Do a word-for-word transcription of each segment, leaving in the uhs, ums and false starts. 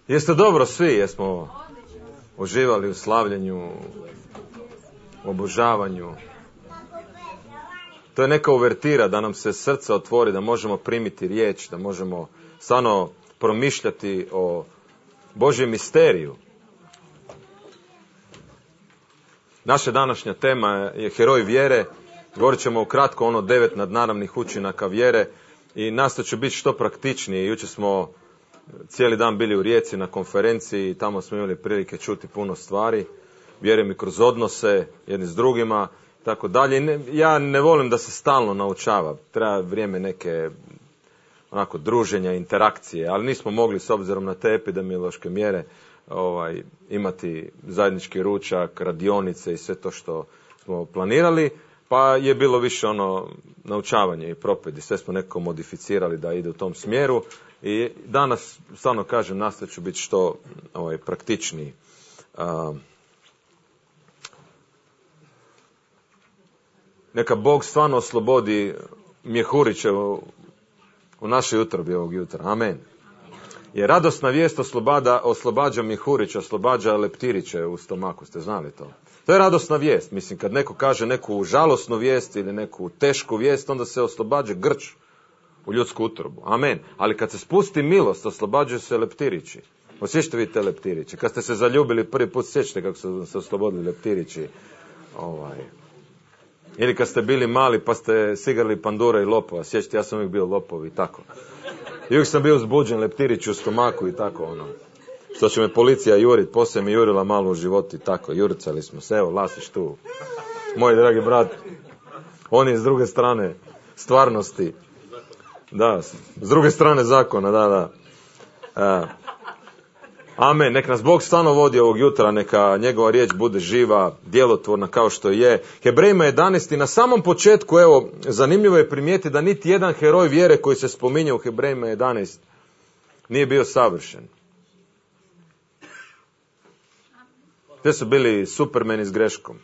Jeste dobro svi, jesmo uživali u slavljenju, u obožavanju. To je neka uvertira da nam se srce otvori, da možemo primiti riječ, da možemo stvarno promišljati o Božjem misteriju. Naša današnja tema je heroj vjere. Govorit ćemo ukratko ono devet nadnaravnih učinaka vjere i nastojat će biti što praktičnije. Jučer smo cijeli dan bili u Rijeci na konferenciji i tamo smo imali prilike čuti puno stvari. Vjerujem i kroz odnose jedni s drugima, tako dalje. Ja ne volim da se stalno naučava. Treba vrijeme neke onako druženja, interakcije, ali nismo mogli s obzirom na te epidemiološke mjere ovaj, imati zajednički ručak, radionice i sve to što smo planirali, pa je bilo više ono naučavanje i propedi. Sve smo nekako modificirali da ide u tom smjeru i danas, stvarno kažem, nastojat ću biti što ovaj, praktičniji. Uh, neka Bog stvarno oslobodi mjehuriće u, u našoj utrobi ovog jutra. Amen. Jer radosna vijest oslobađa, oslobađa mjehuriće, oslobađa leptiriće u stomaku. Ste znali to? To je radosna vijest. Mislim, kad neko kaže neku žalosnu vijest ili neku tešku vijest, onda se oslobađa grč u ljudsku utrobu. Amen. Ali kad se spusti milost, oslobađaju se leptirići. Osjećate vi te leptirići? Kad ste se zaljubili prvi put, sjećate kako su se oslobodili leptirići. Ovaj. Ili kad ste bili mali pa ste sigrali pandura i lopova. Sjećate, ja sam uvijek bio lopov i tako. I uvijek sam bio uzbuđen, leptirić u stomaku i tako ono. Što će me policija jurit, poslije mi jurila malo u životu i tako. Juricali smo se, evo, Lasić tu. Moj dragi brat. On je s druge strane stvarnosti. Da, s druge strane zakona, da, da. E, amen, nek nas Bog stvarno vodi ovog jutra, neka njegova riječ bude živa, djelotvorna kao što je. Hebrejima jedanaest na samom početku, evo, zanimljivo je primijeti da niti jedan heroj vjere koji se spominje u Hebrejima jedanaest nije bio savršen. Te su bili supermeni s greškom.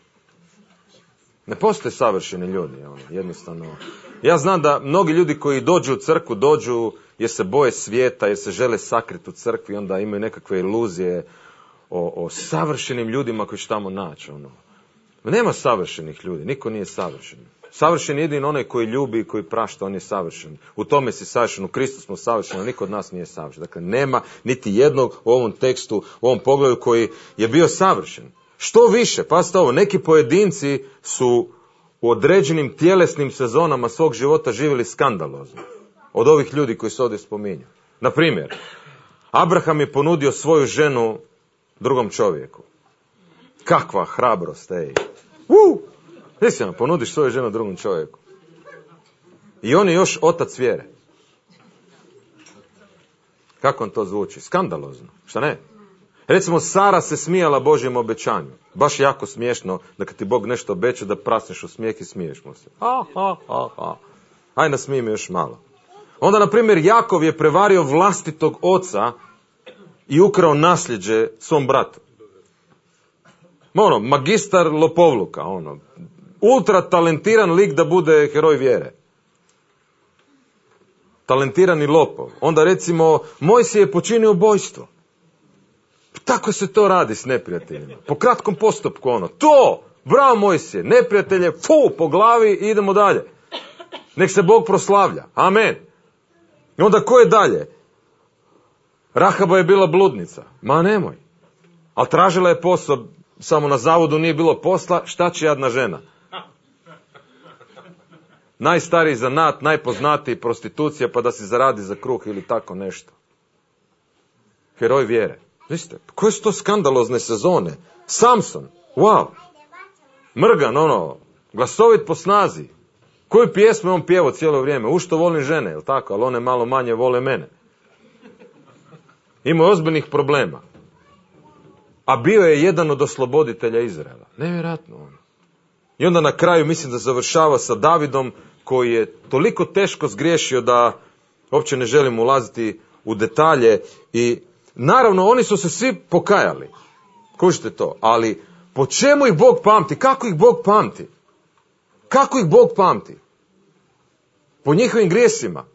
Ne postoje savršeni ljudi, ono, jednostavno. Ja znam da mnogi ljudi koji dođu u crkvu, dođu jer se boje svijeta, jer se žele sakriti u crkvi, onda imaju nekakve iluzije o, o savršenim ljudima koji će tamo naći. Ono. Nema savršenih ljudi, niko nije savršen. Savršen je jedino onaj koji ljubi i koji prašta, on je savršen. U tome si savršen, u Kristu smo savršeni, niko od nas nije savršen. Dakle, nema niti jednog u ovom tekstu, u ovom pogledu koji je bio savršen. Što više, pazite ovo, neki pojedinci su u određenim tjelesnim sezonama svog života živjeli skandalozno. Od ovih ljudi koji se ovdje spominju. Na primjer, Abraham je ponudio svoju ženu drugom čovjeku. Kakva hrabrost, ej. Uh! Istina, ponudiš svoju ženu drugom čovjeku. I on je još otac vjere. Kako on to zvuči? Skandalozno. Šta ne? Recimo, Sara se smijala Božjem obećanju. Baš jako smiješno da kad ti Bog nešto obeća da prasneš u smijeh i smiješ mu se. Ha, ha, ha, ha. Aj, nasmij me još malo. Onda, na primjer, Jakov je prevario vlastitog oca i ukrao nasljeđe svom bratu. Ono, magistar lopovluka, ono. Ultra talentiran lik da bude heroj vjere. Talentirani lopov. Onda, recimo, Mojsije je počinio ubojstvo. Tako se to radi s neprijateljima. Po kratkom postupku, ono. To! Bravo, Mojsije! Neprijatelje, fu, po glavi i idemo dalje. Nek se Bog proslavlja. Amen. I onda ko je dalje? Rahaba je bila bludnica. Ma nemoj. Ali tražila je posao, samo na zavodu nije bilo posla, šta će jadna žena? Najstariji zanat, najpoznatiji prostitucija, pa da si zaradi za kruh ili tako nešto. Heroj vjere. Viste, koje su to skandalozne sezone? Samson, wow. Mrgan, ono, glasovit po snazi. Koju pjesmu on pjevao cijelo vrijeme? U što volim žene, jel tako? Ali one malo manje vole mene. Imao je ozbiljnih problema. A bio je jedan od osloboditelja Izraela. Nevjerojatno ono. I onda na kraju mislim da završava sa Davidom koji je toliko teško zgriješio da uopće ne želim ulaziti u detalje. I naravno oni su se svi pokajali. Kužite to. Ali po čemu ih Bog pamti? Kako ih Bog pamti? Kako ih Bog pamti? Po njihovim grijesima.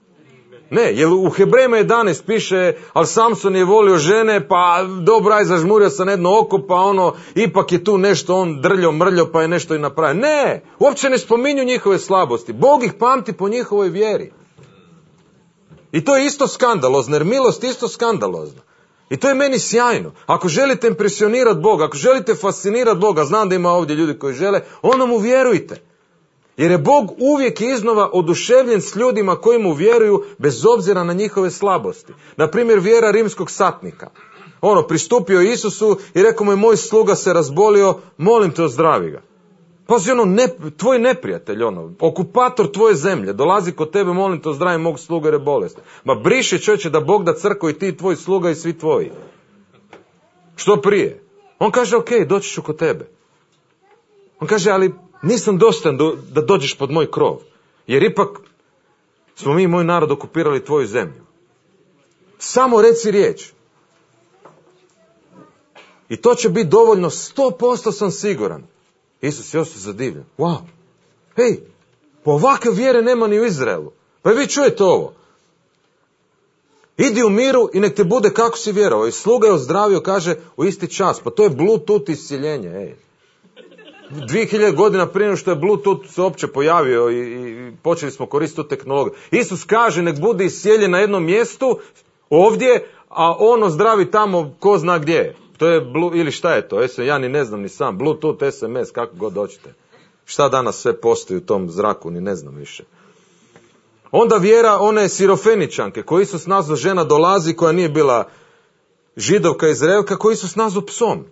Ne, jer u Hebrejima jedanaest piše, ali Samson je volio žene, pa dobro, aj zažmurio sam jedno oko, pa ono, ipak je tu nešto on drljo, mrljo, pa je nešto i napravio. Ne, uopće ne spominju njihove slabosti. Bog ih pamti po njihovoj vjeri. I to je isto skandalozno, jer milost je isto skandalozna. I to je meni sjajno. Ako želite impresionirati Boga, ako želite fascinirati Boga, znam da ima ovdje ljudi koji žele, onda mu vjerujte. Jer je Bog uvijek iznova oduševljen s ljudima koji mu vjeruju bez obzira na njihove slabosti. Na primjer, vjera rimskog satnika. Ono, pristupio Isusu i rekao mu je, moj sluga se razbolio, molim te ozdravi ga. Pazi, ono, ne, tvoj neprijatelj, ono, okupator tvoje zemlje, dolazi kod tebe, molim te ozdravi mog sluga jer je bolestan. Ma briši, čovječe, da Bog da crkvu i ti, tvoj sluga i svi tvoji. Što prije? On kaže, ok, doći ću kod tebe. On kaže, ali nisam dostan da dođeš pod moj krov. Jer ipak smo mi, moj narod, okupirali tvoju zemlju. Samo reci riječ. I to će biti dovoljno, sto posto sam siguran. Isus je ostao zadivljen. Wow. Hej, po ovakve vjere nema ni u Izraelu. Pa vi čujete ovo. Idi u miru i nek te bude kako si vjerovao. I sluga je ozdravio, kaže, u isti čas. Pa to je Bluetooth iscjeljenje. Ej. Dvije hiljade godina prije nego što je Bluetooth se uopće pojavio i, i počeli smo koristiti tu tehnologiju. Isus kaže, nek bude iscijeljen na jednom mjestu, ovdje, a on ozdravi tamo ko zna gdje je. To je, blu, ili šta je to? Ja ni ne znam ni sam. Bluetooth, es em es, kako god hoćete. Šta danas sve postoji u tom zraku, ni ne znam više. Onda vjera one Sirofeničanke, koji Isus nazvao žena dolazi, koja nije bila Židovka Izraelka, koji Isus nazvao psom.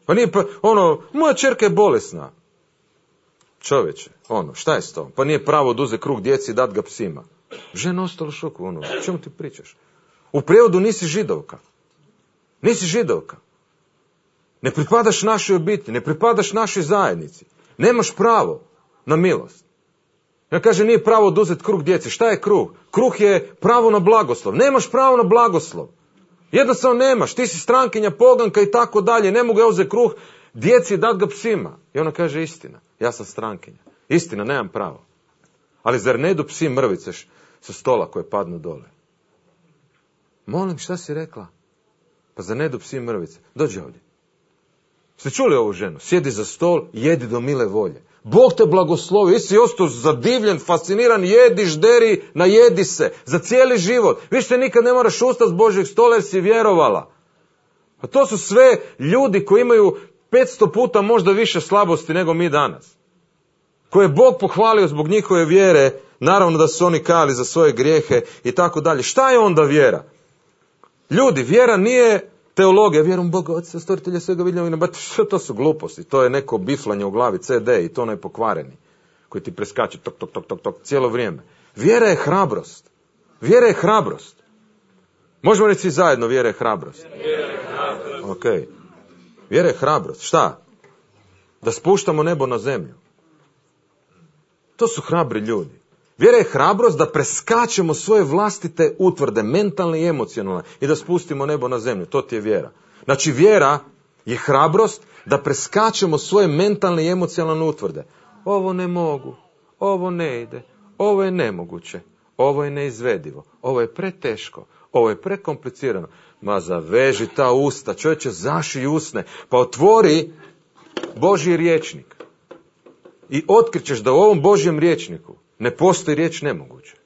Pa nije pa, ono, moja ćerka je bolesna. Čovječe, ono, šta je s tom? Pa nije pravo da uze kruh djeci i dat ga psima. Žena ostala u šoku, ono, o čemu ti pričaš? U prijevodu nisi Židovka. Nisi Židovka. Ne pripadaš našoj obitelji, ne pripadaš našoj zajednici. Nemaš pravo na milost. Ja kaže, nije pravo oduzeti kruh djeci. Šta je kruh? Kruh je pravo na blagoslov. Nemaš pravo na blagoslov. Jednostavno nemaš. Ti si strankinja, poganka i tako dalje. Ne mogu ja uzeti kruh djeci i dat ga psima. I ona kaže, istina. Ja sam strankinja. Istina, nemam pravo. Ali zar ne idu psi mrvice sa stola koje padnu dole? Molim, šta si rekla? Pa zar ne idu psi mrvice? Dođi ovdje. Ste čuli ovu ženu? Sjedi za stol, jedi do mile volje. Bog te blagoslovi, ti si ostao zadivljen, fasciniran, jedi, žderi, najedi se, za cijeli život. Više nikad ne moraš ustati s Božjeg stola jer si vjerovala. A to su sve ljudi koji imaju petsto puta možda više slabosti nego mi danas. Koje je Bog pohvalio zbog njihove vjere, naravno da su oni kajali za svoje grijehe i tako dalje. Šta je onda vjera? Ljudi, vjera nije teologija, vjerujem Boga, Otca, stvoritelja svega vidljivog, to su gluposti, to je neko biflanje u glavi, ce de i to onaj pokvareni, koji ti preskače tok, tok, tok, tok, tok, cijelo vrijeme. Vjera je hrabrost. Vjera je hrabrost. Možemo reći svi zajedno, vjera je hrabrost. Vjera je hrabrost. Ok. Vjera je hrabrost. Šta? Da spuštamo nebo na zemlju. To su hrabri ljudi. Vjera je hrabrost da preskačemo svoje vlastite utvrde, mentalne i emocionalne, i da spustimo nebo na zemlju. To ti je vjera. Znači, vjera je hrabrost da preskačemo svoje mentalne i emocionalne utvrde. Ovo ne mogu, ovo ne ide, ovo je nemoguće, ovo je neizvedivo, ovo je preteško, ovo je prekomplicirano. Ma zaveži ta usta, čovječe, zašij usne, pa otvori Božji rječnik i otkrićeš da u ovom Božjem rječniku ne postoji riječ nemoguće.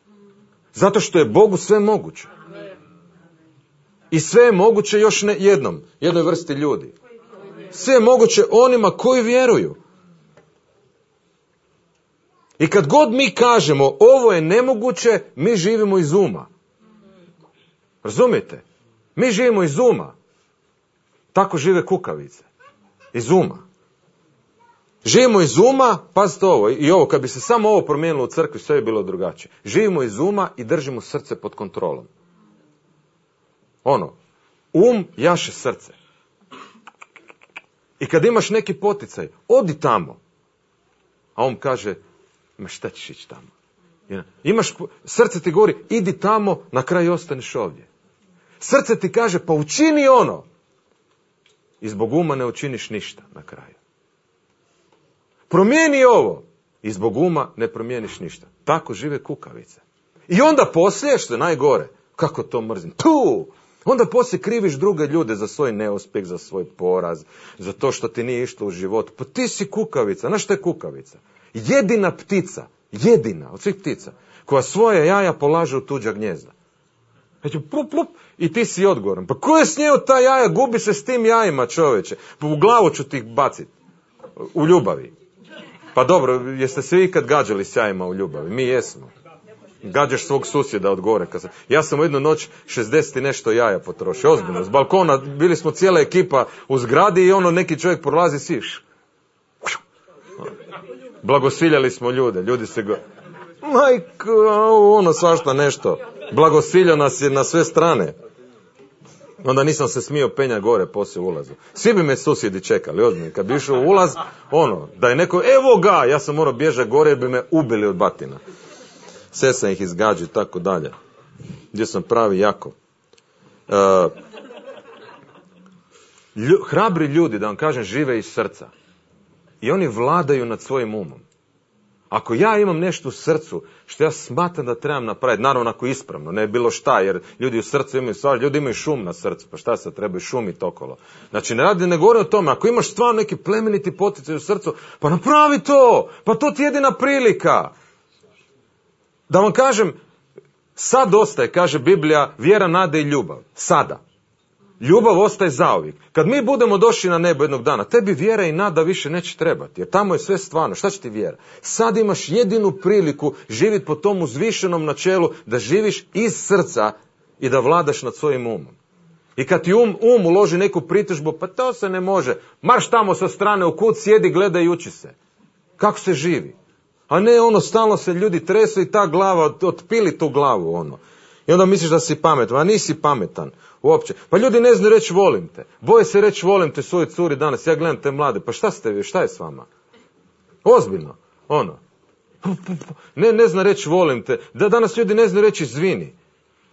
Zato što je Bogu sve moguće. I sve je moguće još ne jednom, jednoj vrsti ljudi. Sve je moguće onima koji vjeruju. I kad god mi kažemo ovo je nemoguće, mi živimo iz uma. Razumijete? Mi živimo iz uma. Tako žive kukavice. Iz uma. Živimo iz uma, pazite ovo, i ovo, kad bi se samo ovo promijenilo u crkvi, sve je bilo drugačije. Živimo iz uma i držimo srce pod kontrolom. Ono, um jaše srce. I kad imaš neki poticaj, odi tamo. A on kaže, ma šta ćeš ići tamo? Imaš, srce ti govori, idi tamo, na kraju ostaneš ovdje. Srce ti kaže, pa učini ono. I zbog uma ne učiniš ništa na kraju. Promijeni ovo. I zbog uma ne promijeniš ništa. Tako žive kukavice. I onda poslije, što je najgore, kako to mrzim, tu! Onda poslije kriviš druge ljude za svoj neuspjeh, za svoj poraz, za to što ti nije išlo u životu. Pa ti si kukavica. Znaš što je kukavica? Jedina ptica, jedina od svih ptica, koja svoje jaja polaže u tuđa gnjezda. Znači, plup, plup, i ti si odgovoran. Pa ko je snijeo ta jaja? Gubi se s tim jajima, čovječe. Pa u glavu ću ti baciti. U ljubavi. Pa dobro, jeste se vi ikad gađali s jajima u ljubavi? Mi jesmo. Gađaš svog susjeda od gore. Kad sam, ja sam u jednu noć šezdeset i nešto jaja potrošio. Ozbiljno. S balkona bili smo cijela ekipa u zgradi i ono neki čovjek prolazi siš. Blagosiljali smo ljude. Ljudi se go... Majko, ono svašta nešto. Blagosiljao nas je na sve strane. Onda nisam se smio penja gore poslije ulazu. Svi bi me susjedi čekali, ozbiljno. Kad bi išao u ulaz, ono, da je neko, evo ga, ja sam morao bježati gore jer bi me ubili od batina. Sve sam ih izgađao i tako dalje. Gdje sam pravi jako. Uh, lju, hrabri ljudi, da vam kažem, žive iz srca. I oni vladaju nad svojim umom. Ako ja imam nešto u srcu što ja smatram da trebam napraviti, naravno ako ispravno, ne bilo šta, jer ljudi u srcu imaju stvari, ljudi imaju šum na srcu, pa šta sad trebaju šumiti okolo. Znači ne radi, ne govori o tome, ako imaš stvarno neki plemeniti poticaj u srcu, pa napravi to, pa to ti je jedina prilika. Da vam kažem, sad ostaje, kaže Biblija, vjera, nada i ljubav. Sada. Ljubav ostaje zauvijek. Kad mi budemo došli na nebo jednog dana, tebi vjera i nada više neće trebati, jer tamo je sve stvarno. Šta će ti vjera? Sad imaš jedinu priliku živjeti po tom uzvišenom načelu da živiš iz srca i da vladaš nad svojim umom. I kad ti um, um uloži neku pritužbu, pa to se ne može. Marš tamo sa strane u kut, sjedi, gledaj i uči se. Kako se živi? A ne ono, stalno se ljudi tresu i ta glava, otpili tu glavu ono. I onda misliš da si pametan, a nisi pametan uopće. Pa ljudi ne znaju reći volim te. Boje se reći volim te svojoj curi danas. Ja gledam te mlade, pa šta ste vi, šta je s vama? Ozbiljno, ono. Ne, ne zna reći volim te. Da danas ljudi ne znaju reći izvini.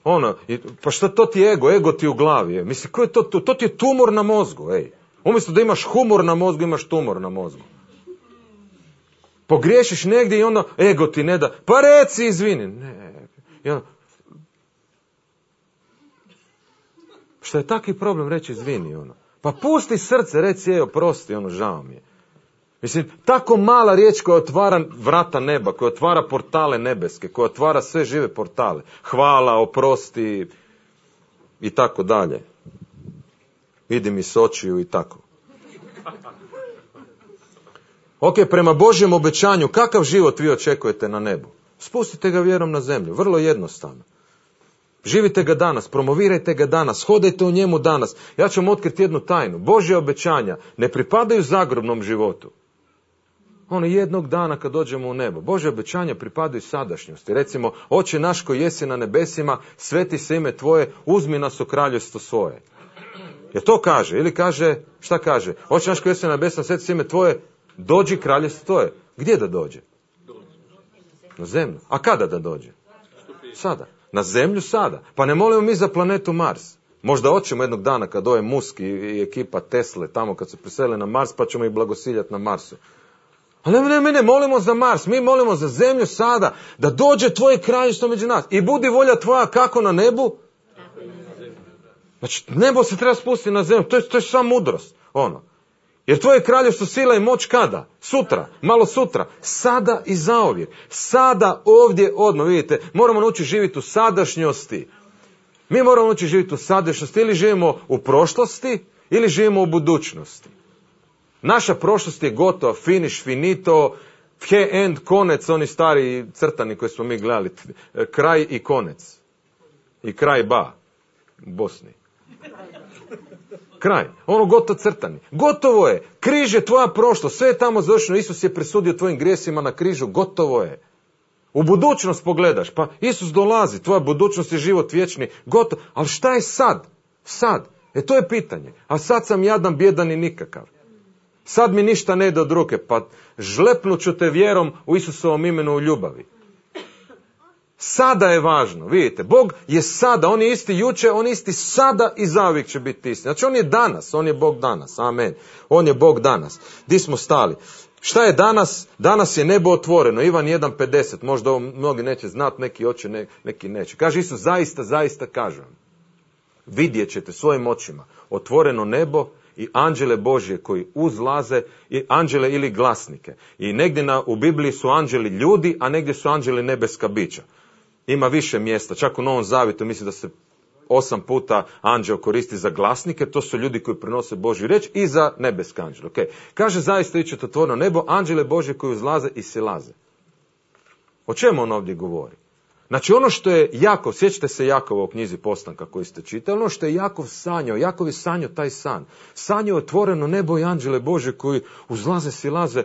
Ono, i, pa šta to ti je ego, ego ti u glavi. Je. Mislim, ko je to, to, to ti je tumor na mozgu, ej. Umjesto da imaš humor na mozgu, imaš tumor na mozgu. Pogriješiš negdje i onda ego ti ne da, pa reci izvini. Ne. I onda, što je taki problem reći izvini, ono. Pa pusti srce, reci, evo, prosti, ono, žao mi je. Mislim, tako mala riječ koja otvara vrata neba, koja otvara portale nebeske, koja otvara sve žive portale. Hvala, oprosti i tako dalje. Idi mi s očiju i tako. Ok, prema Božjem obećanju, kakav život vi očekujete na nebu? Spustite ga vjerom na zemlju, vrlo jednostavno. Živite ga danas, promovirajte ga danas, hodajte u njemu danas. Ja ću vam otkriti jednu tajnu. Božje obećanja ne pripadaju zagrobnom životu. Ono jednog dana kad dođemo u nebo. Božje obećanja pripadaju sadašnjosti. Recimo, Oče naš koji jesi na nebesima, sveti se ime tvoje, uzmi nas u kraljevstvo svoje. Jer to kaže, ili kaže, šta kaže? Oče naš koji jesi na nebesima, sveti se ime tvoje, dođi kraljevstvo tvoje. Gdje da dođe? Na zemlju. A kada da dođe? Sada. Na zemlju sada. Pa ne molimo mi za planetu Mars. Možda hoćemo jednog dana kad ove Musk i ekipa Tesle tamo kad se presele na Mars, pa ćemo ih blagosiljati na Marsu. Ali ne, ne, ne, ne molimo za Mars, mi molimo za zemlju sada, da dođe tvoje kraljevstvo među nas. I budi volja tvoja kako na nebu? Znači, nebo se treba spustiti na zemlju, to je, to je sva mudrost. Ono. Jer tvoje kraljevstvo sila i moć kada? Sutra, malo sutra, sada i zauvijek. Sada, ovdje, odmah, vidite, moramo naučiti živjeti u sadašnjosti. Mi moramo naučiti živjeti u sadašnjosti, ili živimo u prošlosti, ili živimo u budućnosti. Naša prošlost je gotova, finish, finito, he end, konec, oni stari crtani koji smo mi gledali, kraj i konec. I kraj ba, u Bosni. Kraj, ono gotovo crtani. Gotovo je, križ je tvoja prošlost, sve je tamo završeno, Isus je presudio tvojim grijesima na križu, gotovo je. U budućnost pogledaš, pa Isus dolazi, tvoja budućnost je život vječni, gotovo. Ali šta je sad? Sad. E to je pitanje. A sad sam jadan, bjedan i nikakav. Sad mi ništa ne ide od ruke, pa žlepnut ću te vjerom u Isusovom imenu u ljubavi. Sada je važno, vidite, Bog je sada, on je isti juče, on je isti sada i zauvijek će biti isti. Znači on je danas, on je Bog danas, amen. On je Bog danas. Di smo stali? Šta je danas? Danas je nebo otvoreno. Ivan jedan pedeset. Možda ovo mnogi neće znati, neki hoće, ne, neki neće. Kaže Isus, zaista, zaista kažem. Vidjet ćete svojim očima otvoreno nebo i anđele Božje koji uzlaze, i anđele ili glasnike. I negdje na, u Bibliji su anđeli ljudi, a negdje su anđeli nebeska bića. Ima više mjesta. Čak u Novom Zavjetu mislim da se osam puta anđeo koristi za glasnike, to su ljudi koji prenose Božju riječ, i za nebeske anđele. Okay. Kaže, zaista ići ćete otvoreno nebo, anđele Božje koji uzlaze i silaze. O čemu on ovdje govori? Znači ono što je Jakov, sjećate se Jakova u knjizi Postanka koji ste čitali, ono što je Jakov sanjao, Jakov je sanjao taj san. Sanjao otvoreno nebo i anđele Božje koji uzlaze, silaze.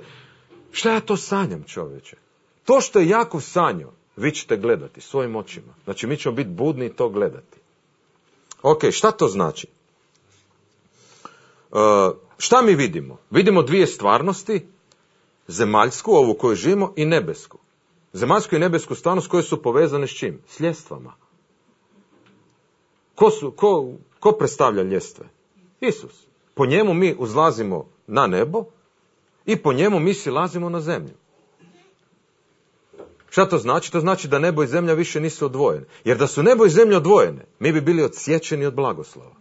Šta ja to sanjam, čovječe? To što je Jakov sanjao, vi ćete gledati svojim očima. Znači mi ćemo biti budni i to gledati. Ok, šta to znači? Uh, šta mi vidimo? Vidimo dvije stvarnosti, zemaljsku, ovu koju živimo, i nebesku. Zemaljsku i nebesku stvarnost koje su povezane s čim? S ljestvama. Ko, su, ko, ko predstavlja ljestve? Isus. Po njemu mi uzlazimo na nebo i po njemu mi silazimo na zemlju. Šta to znači? To znači da nebo i zemlja više nisu odvojene. Jer da su nebo i zemlja odvojene, mi bi bili odsječeni od blagoslova.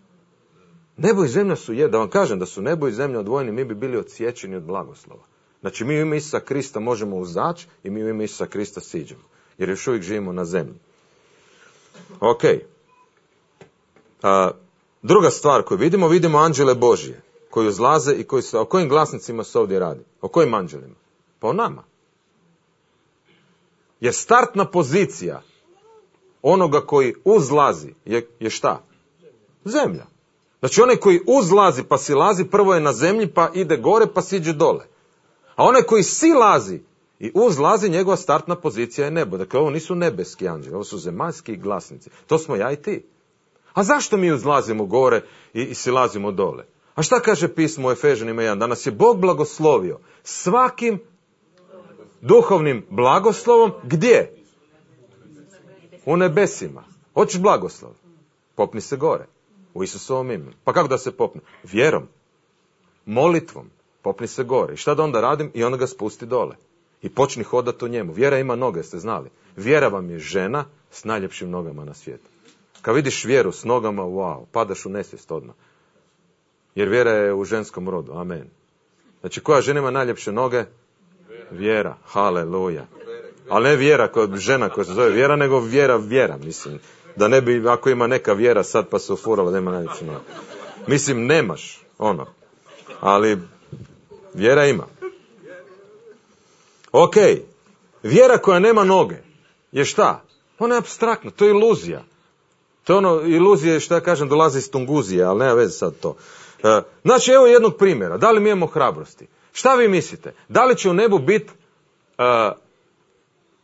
Nebo i zemlja su je, da vam kažem da su nebo i zemlja odvojeni, mi bi bili odsječeni od blagoslova. Znači mi u ime Isusa Krista možemo uzaći i mi u ime Isusa Krista siđemo. Jer još uvijek živimo na zemlji. Ok. A, druga stvar koju vidimo, vidimo anđele Božje koji uzlaze i koji se, o kojim glasnicima se ovdje radi? O kojim anđelima? Pa o nama. Jer startna pozicija onoga koji uzlazi je, je šta? Zemlja. Znači onaj koji uzlazi pa silazi, prvo je na zemlji pa ide gore pa siđe dole. A onaj koji silazi i uzlazi, njegova startna pozicija je nebo. Dakle, ovo nisu nebeski anđeli, ovo su zemaljski glasnici. To smo ja i ti. A zašto mi uzlazimo gore i, i silazimo dole? A šta kaže pismo u Efežanima jedan? Da nas je Bog blagoslovio svakim duhovnim blagoslovom. Gdje? U nebesima. Hoćeš blagoslov? Popni se gore. U Isusovom imenu. Pa kako da se popne? Vjerom. Molitvom. Popni se gore. I šta da onda radim? I onda ga spusti dole. I počni hodati u njemu. Vjera ima noge, ste znali. Vjera vam je žena s najljepšim nogama na svijetu. Kad vidiš vjeru s nogama, wow, padaš u nesvijest odmah. Jer vjera je u ženskom rodu. Amen. Znači, koja žena ima najljepše noge? Vjera. Haleluja. Ali ne vjera, koja, žena koja se zove vjera, nego vjera, vjera, mislim. Da ne bi, ako ima neka vjera sad pa se ufurala, nema najljepše noge. Mislim, nemaš, ono. Ali vjera ima. Ok. Vjera koja nema noge je šta? Ona je apstraktna, to je iluzija. To je ono, iluzije, što ja kažem, dolazi iz Tunguzije, ali nema veze sad to. E, znači, evo jednog primjera. Da li mi imamo hrabrosti? Šta vi mislite? Da li će u nebu biti e,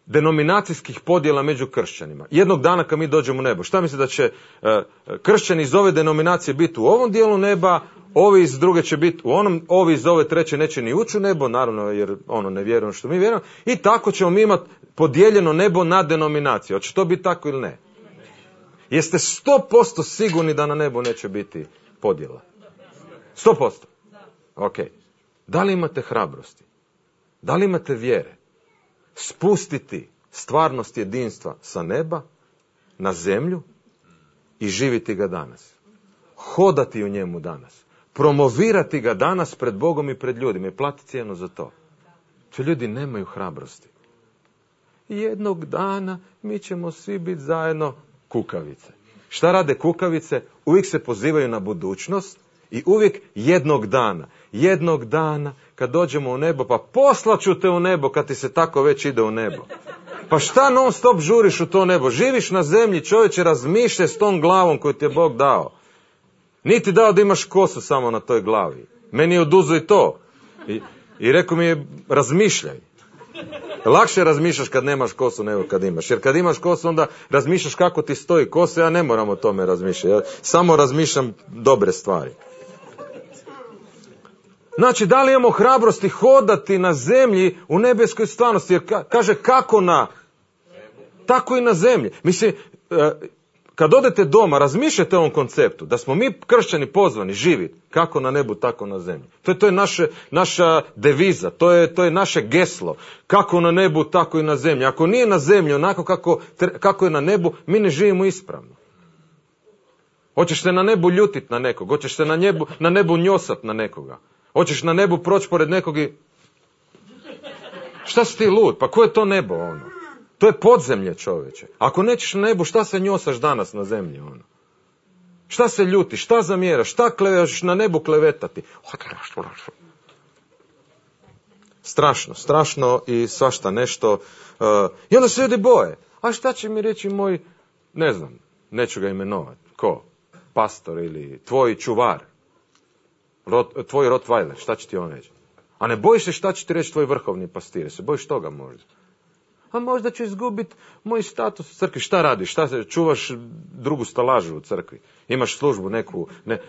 denominacijskih podjela među kršćanima? Jednog dana kad mi dođemo u nebo, šta mislite da će e, kršćani iz ove denominacije biti u ovom dijelu neba, ovi iz druge će biti u onom, ovi iz ove treće neće ni ući u nebo, naravno jer ono ne vjerujemo što mi vjerujemo, i tako ćemo mi imati podijeljeno nebo na denominacije. Hoće to biti tako ili ne? Jeste sto posto sigurni da na nebu neće biti podjela? sto posto? Ok. Da li imate hrabrosti? Da li imate vjere? Spustiti stvarnost jedinstva sa neba na zemlju i živiti ga danas. Hodati u njemu danas. Promovirati ga danas pred Bogom i pred ljudima i platiti cijenu za to. Če ljudi nemaju hrabrosti. Jednog dana mi ćemo svi biti zajedno kukavice. Šta rade kukavice? Uvijek se pozivaju na budućnost i uvijek jednog dana. Jednog dana kad dođemo u nebo, pa poslaću te u nebo kad ti se tako već ide u nebo. Pa šta non stop žuriš u to nebo? Živiš na zemlji, čovječe, razmišljaj s tom glavom koju ti je Bog dao. Niti dao da imaš kosu samo na toj glavi. Meni je oduzo i to. I, i rekao mi je, razmišljaj. Lakše razmišljaš kad nemaš kosu nego kad imaš. Jer kad imaš kosu onda razmišljaš kako ti stoji kosa, ja ne moram o tome razmišljati. Ja samo razmišljam dobre stvari. Znači, da li imamo hrabrosti hodati na zemlji u nebeskoj stvarnosti? Jer ka, kaže kako na, tako i na zemlji. Mislim, kad kad odete doma, razmišljajte o ovom konceptu, da smo mi kršćani pozvani živjeti kako na nebu, tako na zemlji. To je, to je naše, naša deviza, to je, to je naše geslo. Kako na nebu, tako i na zemlji. Ako nije na zemlji onako kako, kako je na nebu, mi ne živimo ispravno. Hoćeš se na nebu ljutit na nekog, hoćeš se na nebu, na nebu njosat na nekoga. Hoćeš na nebu proći pored nekog i... Šta si ti lud? Pa ko je to nebo ono? To je podzemlje, čovječe. Ako nećeš na nebu, šta se njosaš danas na zemlji ono? Šta se ljuti, šta zamjeraš, šta kleveš na nebu klevetati? Strašno, strašno i svašta nešto. Uh, I onda se ljudi boje. A šta će mi reći moj, ne znam, neću ga imenovati. Ko? Pastor ili tvoj čuvar? Rot, tvoj Rottweiler, šta će ti on reći? A ne bojiš se šta će ti reći tvoj vrhovni pastir? Se bojiš toga možda? A možda ću izgubiti moj status u crkvi. Šta radiš? Šta se, čuvaš drugu stalažu u crkvi? Imaš službu neku? Ne.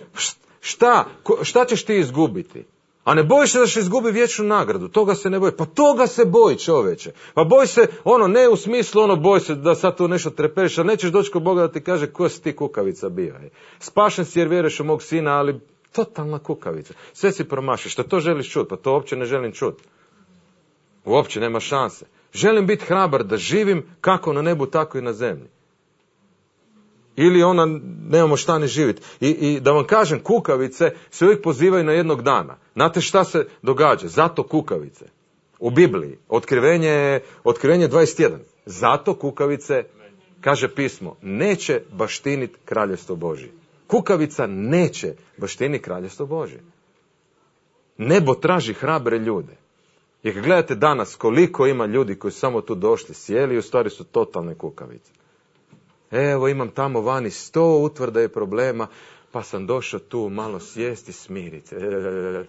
Šta? Šta ćeš ti izgubiti? A ne bojiš se da će izgubi vječnu nagradu? Toga se ne boji. Pa toga se boji, čoveče. Pa boji se, ono, ne u smislu, ono, boji se da sad tu nešto treperiš, a nećeš doći kod Boga da ti kaže ko si ti kukavica bio. Spašen si jer vjeruješ u mog sina, ali totalna kukavica. Sve si promašiš. Što to želiš čuti? Pa to uopće ne želim čuti. Uopće nema šanse. Želim biti hrabar da živim kako na nebu, tako i na zemlji. Ili ona, nemamo šta ni živjeti. I, I da vam kažem, kukavice se uvijek pozivaju na jednog dana. Znate šta se događa? Zato kukavice. U Bibliji. Otkrivenje, otkrivenje dvadeset jedan. Zato kukavice, kaže pismo, neće baštiniti kraljevstvo Božje. Kukavica neće baštiniti kraljevstvo Božje. Nebo traži hrabre ljude. I kad gledate danas koliko ima ljudi koji su samo tu došli, sjeli i u stvari su totalne kukavice. Evo imam tamo vani sto utvrda i problema, pa sam došao tu malo sjesti i smiriti se.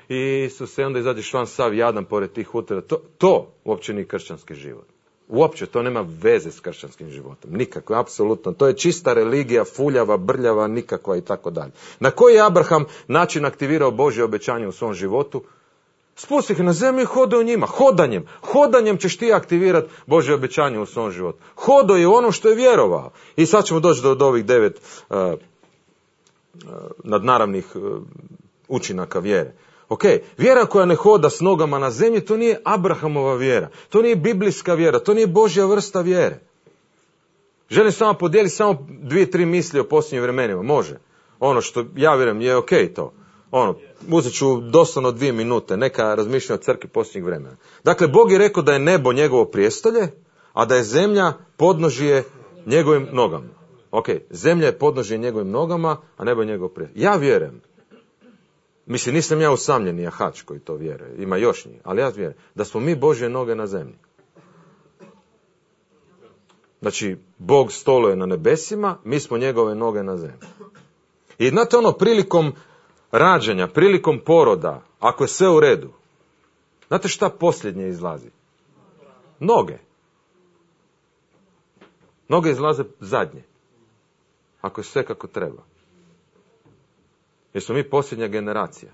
I Isuse, onda izađeš van sav jadan pored tih utvrda. To, to uopće nije kršćanski život. Uopće to nema veze s kršćanskim životom. Nikako, apsolutno. To je čista religija, fuljava, brljava, nikakva i tako dalje. Na koji je Abraham način aktivirao Božje obećanje u svom životu? Spusti ih na zemlju i hodaj u njima. Hodanjem. Hodanjem ćeš ti aktivirati Božje obećanje u svom životu. Hodao je u ono što je vjerovao. I sad ćemo doći do, do ovih devet uh, uh, nadnaravnih uh, učinaka vjere. Ok, vjera koja ne hoda s nogama na zemlji, to nije Abrahamova vjera. To nije biblijska vjera. To nije Božja vrsta vjere. Želim samo podijeliti samo dvije, tri misli o posljednjim vremenima. Može. Ono što ja vjerujem je ok to. Ono, uzet ću doslovno dvije minute, neka razmišljanja o crkvi posljednjih vremena. Dakle, Bog je rekao da je nebo njegovo prijestolje, a da je zemlja podnožje njegovim nogama. Ok, zemlja je podnožje njegovim nogama, a nebo je njegovo prijestolje. Ja vjerujem, mislim, nisam ja usamljeni jahač koji to vjeruje, ima još njih, ali ja vjerujem, da smo mi Božje noge na zemlji. Znači, Bog stoluje na nebesima, mi smo njegove noge na zemlji. I znate ono, prilikom rađanja, prilikom poroda, ako je sve u redu, znate šta posljednje izlazi? Noge. Noge izlaze zadnje. Ako je sve kako treba. Jer smo mi posljednja generacija.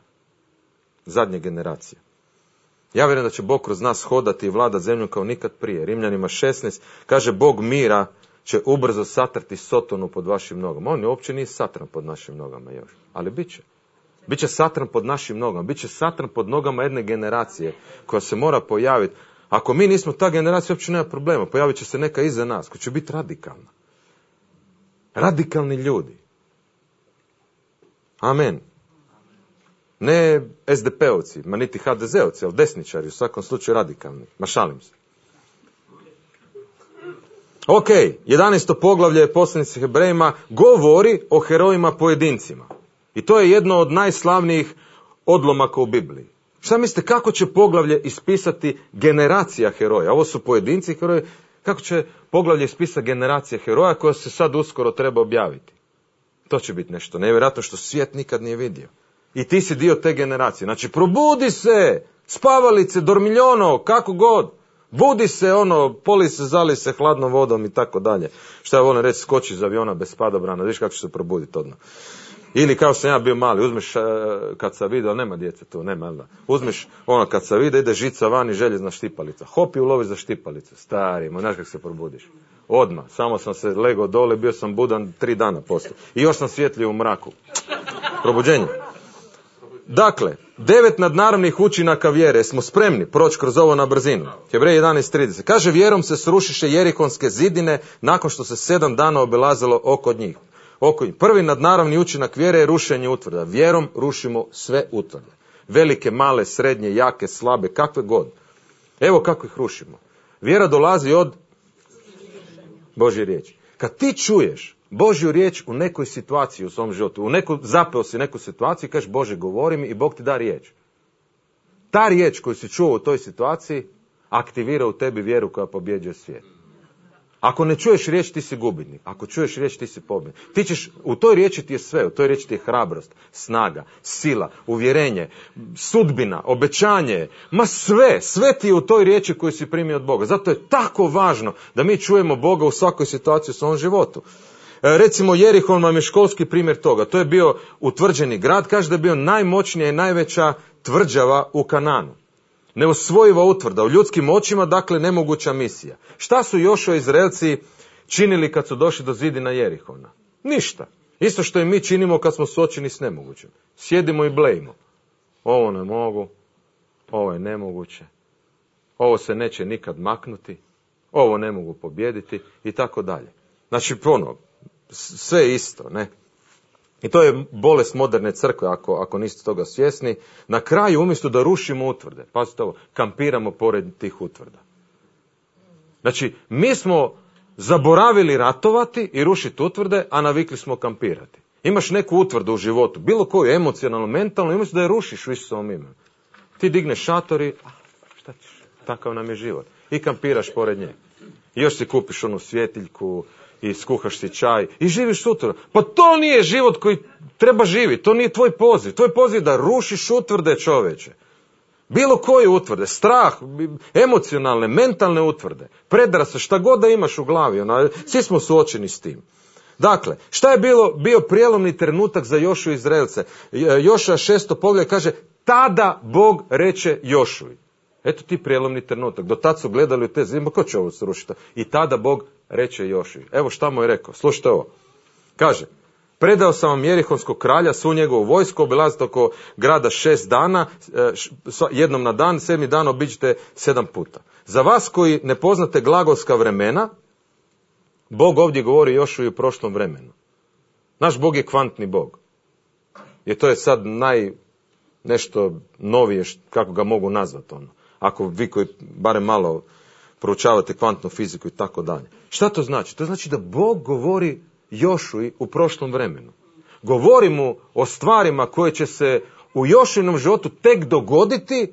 Zadnja generacija. Ja vjerujem da će Bog kroz nas hodati i vladati zemljom kao nikad prije. Rimljanima šesnaest kaže Bog mira će ubrzo satrati Sotonu pod vašim nogama. On je uopće nije satran pod našim nogama još. Ali bit će. Biće satran pod našim nogama, biće satran pod nogama jedne generacije koja se mora pojaviti. Ako mi nismo ta generacija, uopće nema problema. Pojavit će se neka iza nas koja će biti radikalna. Radikalni ljudi. Amen. Ne es de pe-ovci, ma niti ha de ze-ovci, ali desničari, u svakom slučaju radikalni. Ma šalim se. Ok, jedanaesto poglavlje poslanice Hebrejima govori o herojima pojedincima. I to je jedno od najslavnijih odlomaka u Bibliji. Šta mislite, kako će poglavlje ispisati generacija heroja? Ovo su pojedinci heroji. Kako će poglavlje ispisati generacija heroja koja se sad uskoro treba objaviti? To će biti nešto nevjerojatno što svijet nikad nije vidio. I ti si dio te generacije. Znači, probudi se, spavalice, dormiljono, kako god. Budi se, ono, poli se, zali se hladnom vodom i tako dalje. Šta ja volim reći, skoči iz aviona bez padobrana, viš kako će se probuditi odmah. Ili kao sam ja bio mali, uzmeš kad sam vidio, nema djece tu, nema, jel da? Uzmeš ono kad sam vidio, ide žica van i željezna štipalica. Hop i uloviš za štipalicu. Stari, znaš kako se probudiš. Odmah. Samo sam se legao dole, bio sam budan tri dana poslije. I još sam svjetlio u mraku. Probuđenje. Dakle, devet nadnaravnih učinaka vjere. Smo spremni proći kroz ovo na brzinu. Hebreji jedanaest trideset. Kaže, vjerom se srušiše Jerikonske zidine nakon što se sedam dana obilazilo oko njih. Oko njih. Prvi nadnaravni učinak vjere je rušenje utvrda. Vjerom rušimo sve utvrde. Velike, male, srednje, jake, slabe, kakve god. Evo kako ih rušimo. Vjera dolazi od Božje riječi. Kad ti čuješ Božju riječ u nekoj situaciji u svom životu, u neku, zapeo si neku situaciju i kažeš, Bože, govori mi, i Bog ti da riječ. Ta riječ koju si čuo u toj situaciji aktivira u tebi vjeru koja pobjeđuje svijet. Ako ne čuješ riječ, ti si gubitnik. Ako čuješ riječ, ti si pobjednik. Ti ćeš, u toj riječi ti je sve, u toj riječi ti je hrabrost, snaga, sila, uvjerenje, sudbina, obećanje, ma sve, sve ti je u toj riječi koju si primio od Boga. Zato je tako važno da mi čujemo Boga u svakoj situaciji u svom životu. E, recimo Jerihon vam je školski primjer toga. To je bio utvrđeni grad, kaže da je bio najmoćnija i najveća tvrđava u Kananu. Neosvojiva utvrda, u ljudskim očima, dakle nemoguća misija. Šta su Jošua i Izraelci činili kad su došli do zidina Jerihona? Ništa. Isto što i mi činimo kad smo suočeni s nemogućim. Sjedimo i blejimo. Ovo ne mogu, ovo je nemoguće, ovo se neće nikad maknuti, ovo ne mogu pobijediti i tako dalje. Znači, ponovno, sve isto, ne? I to je bolest moderne crkve, ako, ako niste toga svjesni. Na kraju, umjesto da rušimo utvrde, pazite ovo, kampiramo pored tih utvrda. Znači, mi smo zaboravili ratovati i rušiti utvrde, a navikli smo kampirati. Imaš neku utvrdu u životu, bilo koju, emocionalno, mentalno, umjesto da je rušiš u Isusovom imenu. Ti digneš šator i, ah, šta ćeš, takav nam je život. I kampiraš pored nje. I još si kupiš onu svjetiljku, i skuhaš si čaj i živiš sutra. Pa to nije život koji treba živjeti, to nije tvoj poziv. Tvoj poziv je da rušiš utvrde, čoveče. Bilo koje utvrde, strah, emocionalne, mentalne utvrde, predrase, šta god da imaš u glavi, ono, svi smo suočeni s tim. Dakle, šta je bilo, bio prijelomni trenutak za Jošu i Izraelce? Jošua šesto poglavlje kaže, tada Bog reče Jošuji. Eto ti prijelomni trenutak. Do tad su gledali u te zime, ko će ovo srušiti? I tada Bog reče Jošuji. Evo šta mu je rekao, slušajte ovo. Kaže, predao sam vam Jerihonskog kralja, svu njegovu vojsku, obilazite oko grada šest dana, jednom na dan, sedmi dan obiđite sedam puta. Za vas koji ne poznate glagolska vremena, Bog ovdje govori Jošuji u prošlom vremenu. Naš Bog je kvantni Bog. I to je sad naj, nešto novije, kako ga mogu nazvati ono. Ako vi koji barem malo proučavate kvantnu fiziku i tako dalje. Šta to znači? To znači da Bog govori Jošuji u prošlom vremenu. Govori mu o stvarima koje će se u Jošujinom životu tek dogoditi,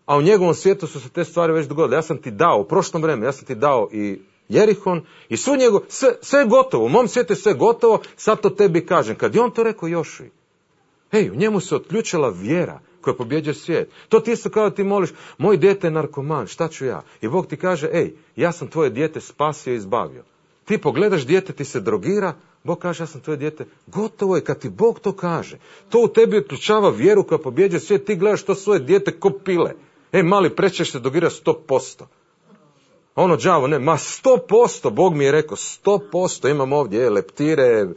a u njegovom svijetu su se te stvari već dogodile. Ja sam ti dao u prošlom vremenu, ja sam ti dao i Jerihon i svu njegov, sve, sve je gotovo, u mom svijetu je sve gotovo, sad to tebi kažem. Kad je on to rekao Jošuji, hej, u njemu se otključila vjera koja pobjeđuje svijet. To ti isto kao ti moliš, moj dijete je narkoman, šta ću ja? I Bog ti kaže, ej, ja sam tvoje dijete spasio i izbavio. Ti pogledaš dijete, ti se drogira, Bog kaže, ja sam tvoje dijete. Gotovo je kad ti Bog to kaže. To u tebi otključava vjeru koja pobjeđuje svijet, ti gledaš to svoje dijete ko pile. Ej, mali, prećeš se drogira sto posto. Ono đavo, ne, ma sto posto, Bog mi je rekao, sto posto imam ovdje, je, leptire,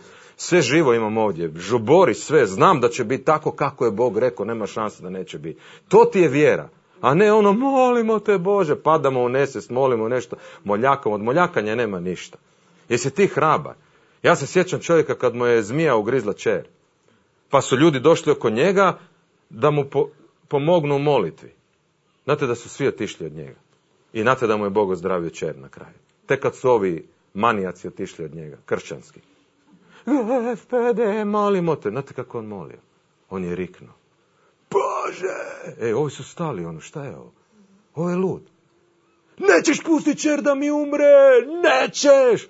sve živo imam ovdje, žubori, sve, znam da će biti tako kako je Bog rekao, nema šanse da neće biti. To ti je vjera, a ne ono, molimo te Bože, padamo u nesvijest, molimo nešto, moljakamo, od moljakanja nema ništa. Jesi ti hrabar? Ja se sjećam čovjeka kad mu je zmija ugrizla čer, pa su ljudi došli oko njega da mu po, pomognu u molitvi. Znate da su svi otišli od njega. I znate da mu je Bog ozdravio čer na kraju. Tek kad su ovi manijaci otišli od njega, kršćanski. Gospode, molimo te. Znate kako on molio? On je riknuo. Bože! Ej, ovi su stali, ono, šta je ovo? Ovo je lud. Nećeš pustiti čer da mi umre! Nećeš!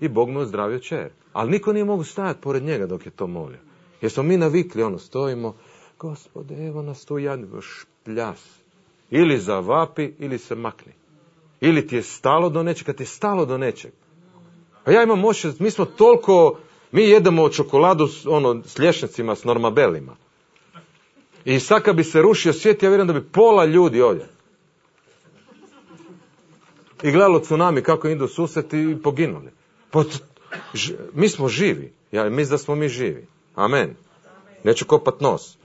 I Bog mu je ozdravio čer. Ali niko nije mogu stajati pored njega dok je to molio. Jer smo mi navikli, ono, stojimo. Gospode, evo nas tu jadni, špljas. Ili zavapi, ili se makni. Ili ti je stalo do nečeg, kad ti je stalo do nečeg. A ja imam moć, mi smo toliko, mi jedemo čokoladu ono, s lješnjacima, s normabelima. I sad kad bi se rušio svijet, ja vjerujem da bi pola ljudi ovdje. i gledalo tsunami kako idu susreti i poginuli. Pa, ž, mi smo živi. Ja mislim da smo mi živi. Amen. Neću kopat nos.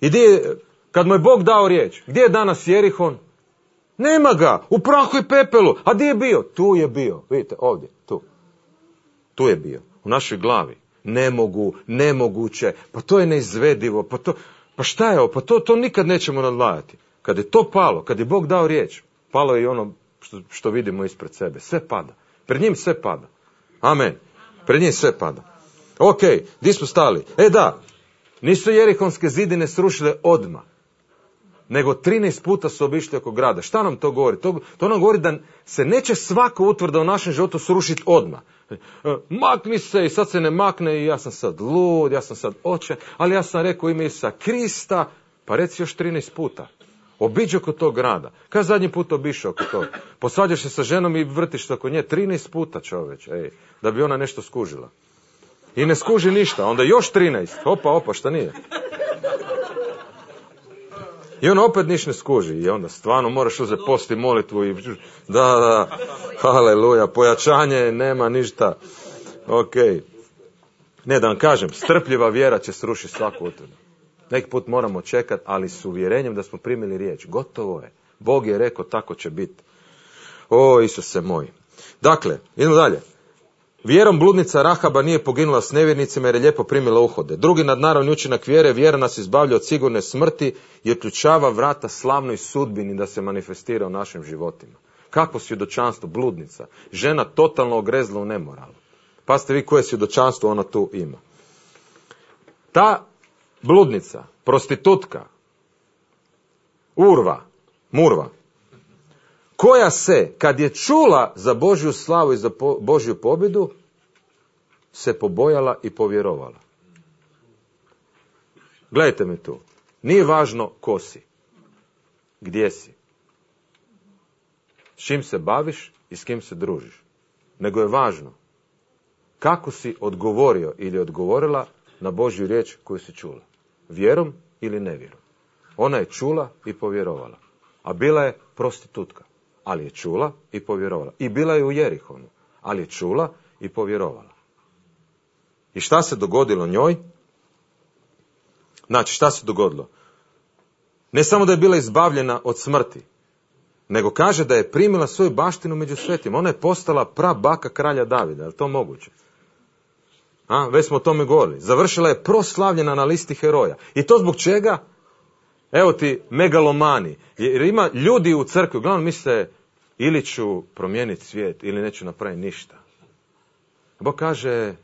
I gdje je, kad mu je Bog dao riječ, gdje je danas Jerihon? Nema ga, u prahu i pepelu. A gdje je bio? Tu je bio. Vidite, ovdje, tu. Tu je bio, u našoj glavi. Ne mogu, nemoguće, pa to je neizvedivo, pa to, pa šta je ovo, pa to, to nikad nećemo nadvladati. Kad je to palo, kad je Bog dao riječ, palo je i ono što, što vidimo ispred sebe. Sve pada. Pred njim sve pada. Amen. Pred njim sve pada. Ok, gdje smo stali? E da, nisu Jerihonske zidine srušile odmah, nego trinaest puta su obišli oko grada. Šta nam to govori? To, to nam govori da se neće svaka utvrda u našem životu srušiti odmah. Makni se i sad se ne makne i ja sam sad lud, ja sam sad očaj, ali ja sam rekao ime Isusa Krista, pa reci još trinaest puta. Obiđi oko tog grada. Kad zadnji put obišao oko toga? Posvađaš se sa ženom i vrtiš se oko nje trinaest puta, čoveč, ej, da bi ona nešto skužila. I ne skuži ništa, onda još trinaest. Opa, opa, šta nije? I on opet niš ne skuži. I onda stvarno moraš uzeti post i molitvu. I, da, da, haleluja, pojačanje, nema ništa. Ok. Ne, da vam kažem, strpljiva vjera će srušiti svaku utvrdu. Neki put moramo čekati, ali s uvjerenjem da smo primili riječ. Gotovo je. Bog je rekao, tako će biti. O, Isuse moj. Dakle, idemo dalje. Vjerom bludnica Rahaba nije poginula s nevjernicima jer je lijepo primila uhode. Drugi nadnaravni učinak vjere, vjera nas izbavlja od sigurne smrti i otključava vrata slavnoj sudbini da se manifestira u našim životima. Kakvo svjedočanstvo, bludnica. Žena totalno ogrezla u nemoralu. Pazite vi koje svjedočanstvo ona tu ima. Ta bludnica, prostitutka, urva, murva, koja se, kad je čula za Božju slavu i za po, Božju pobjedu, se pobojala i povjerovala. Gledajte me tu. Nije važno ko si, gdje si, s čim se baviš i s kim se družiš. Nego je važno kako si odgovorio ili odgovorila na Božju riječ koju si čula. Vjerom ili nevjerom. Ona je čula i povjerovala. A bila je prostitutka. Ali je čula i povjerovala. I bila je u Jerihonu, ali je čula i povjerovala. I šta se dogodilo njoj? Znači, šta se dogodilo? Ne samo da je bila izbavljena od smrti, nego kaže da je primila svoju baštinu među svetima. Ona je postala prabaka kralja Davida. Je li to moguće? A, već smo o tome govorili. Završila je proslavljena na listi heroja. I to zbog čega? Evo ti megalomani. Jer ima ljudi u crkvi, uglavnom misle ili ću promijeniti svijet ili neću napraviti ništa. Bog kaže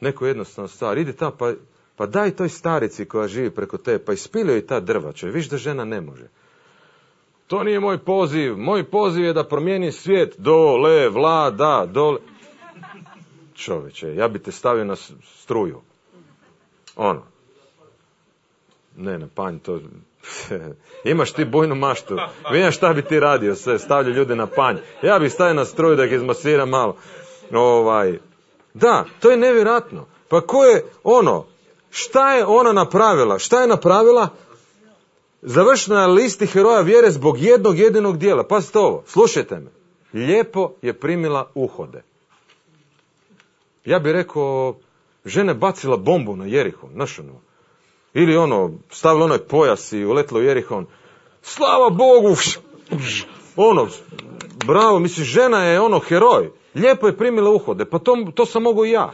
neku jednostavnu stvar. Idi ta pa, pa daj toj starici koja živi preko te, pa ispili joj ta drvača. Viš da žena ne može. To nije moj poziv. Moj poziv je da promijeni svijet. Dole, vlada, dole. Čoveče, ja bi te stavio na struju. Ono. Ne, na panj, to... Imaš ti bujnu maštu. Vidim šta bi ti radio, sve, stavlja ljude na panj. Ja bih stavio na struju da ih izmasiram malo. Ovaj. Da, to je nevjerojatno. Pa ko je ono, šta je ona napravila? Šta je napravila? Završena na listi heroja vjere zbog jednog jedinog dijela. Pazite ovo, slušajte me. Lijepo je primila uhode. Ja bih rekao, žena bacila bombu na Jerihon, znaš ono. Ili ono, stavila onaj pojas i uletila u Jerihon. Slava Bogu! Ono, bravo, misliš, žena je ono heroj. Lijepo je primila uhode, pa to, to sam mogu i ja.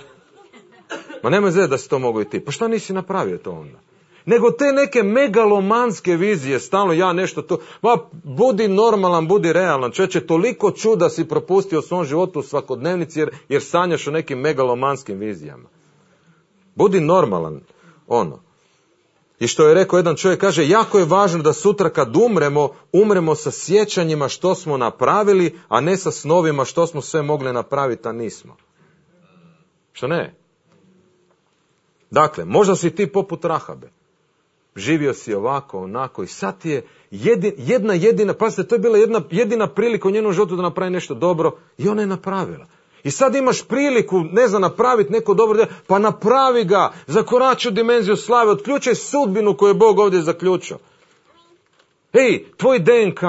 Ma nema zezati da si to mogu i ti. Pa šta nisi napravio to onda? Nego te neke megalomanske vizije, stalno ja nešto to, ma budi normalan, budi realan. Čovječe, toliko čuda si propustio u svom životu u svakodnevnici jer, jer sanjaš o nekim megalomanskim vizijama. Budi normalan, ono. I što je rekao jedan čovjek, kaže, jako je važno da sutra kad umremo, umremo sa sjećanjima što smo napravili, a ne sa snovima što smo sve mogli napraviti, a nismo. Što ne? Dakle, možda si ti poput Rahabe. Živio si ovako, onako i sad ti je jedin, jedna jedina, pazite, to je bila jedna jedina prilika u njenom životu da napravi nešto dobro i ona je napravila. I sad imaš priliku, ne znam, napraviti neko dobro djelo, pa napravi ga, zakorači u dimenziju slave, otključaj sudbinu koju je Bog ovdje zaključio. Ej, tvoj D N K,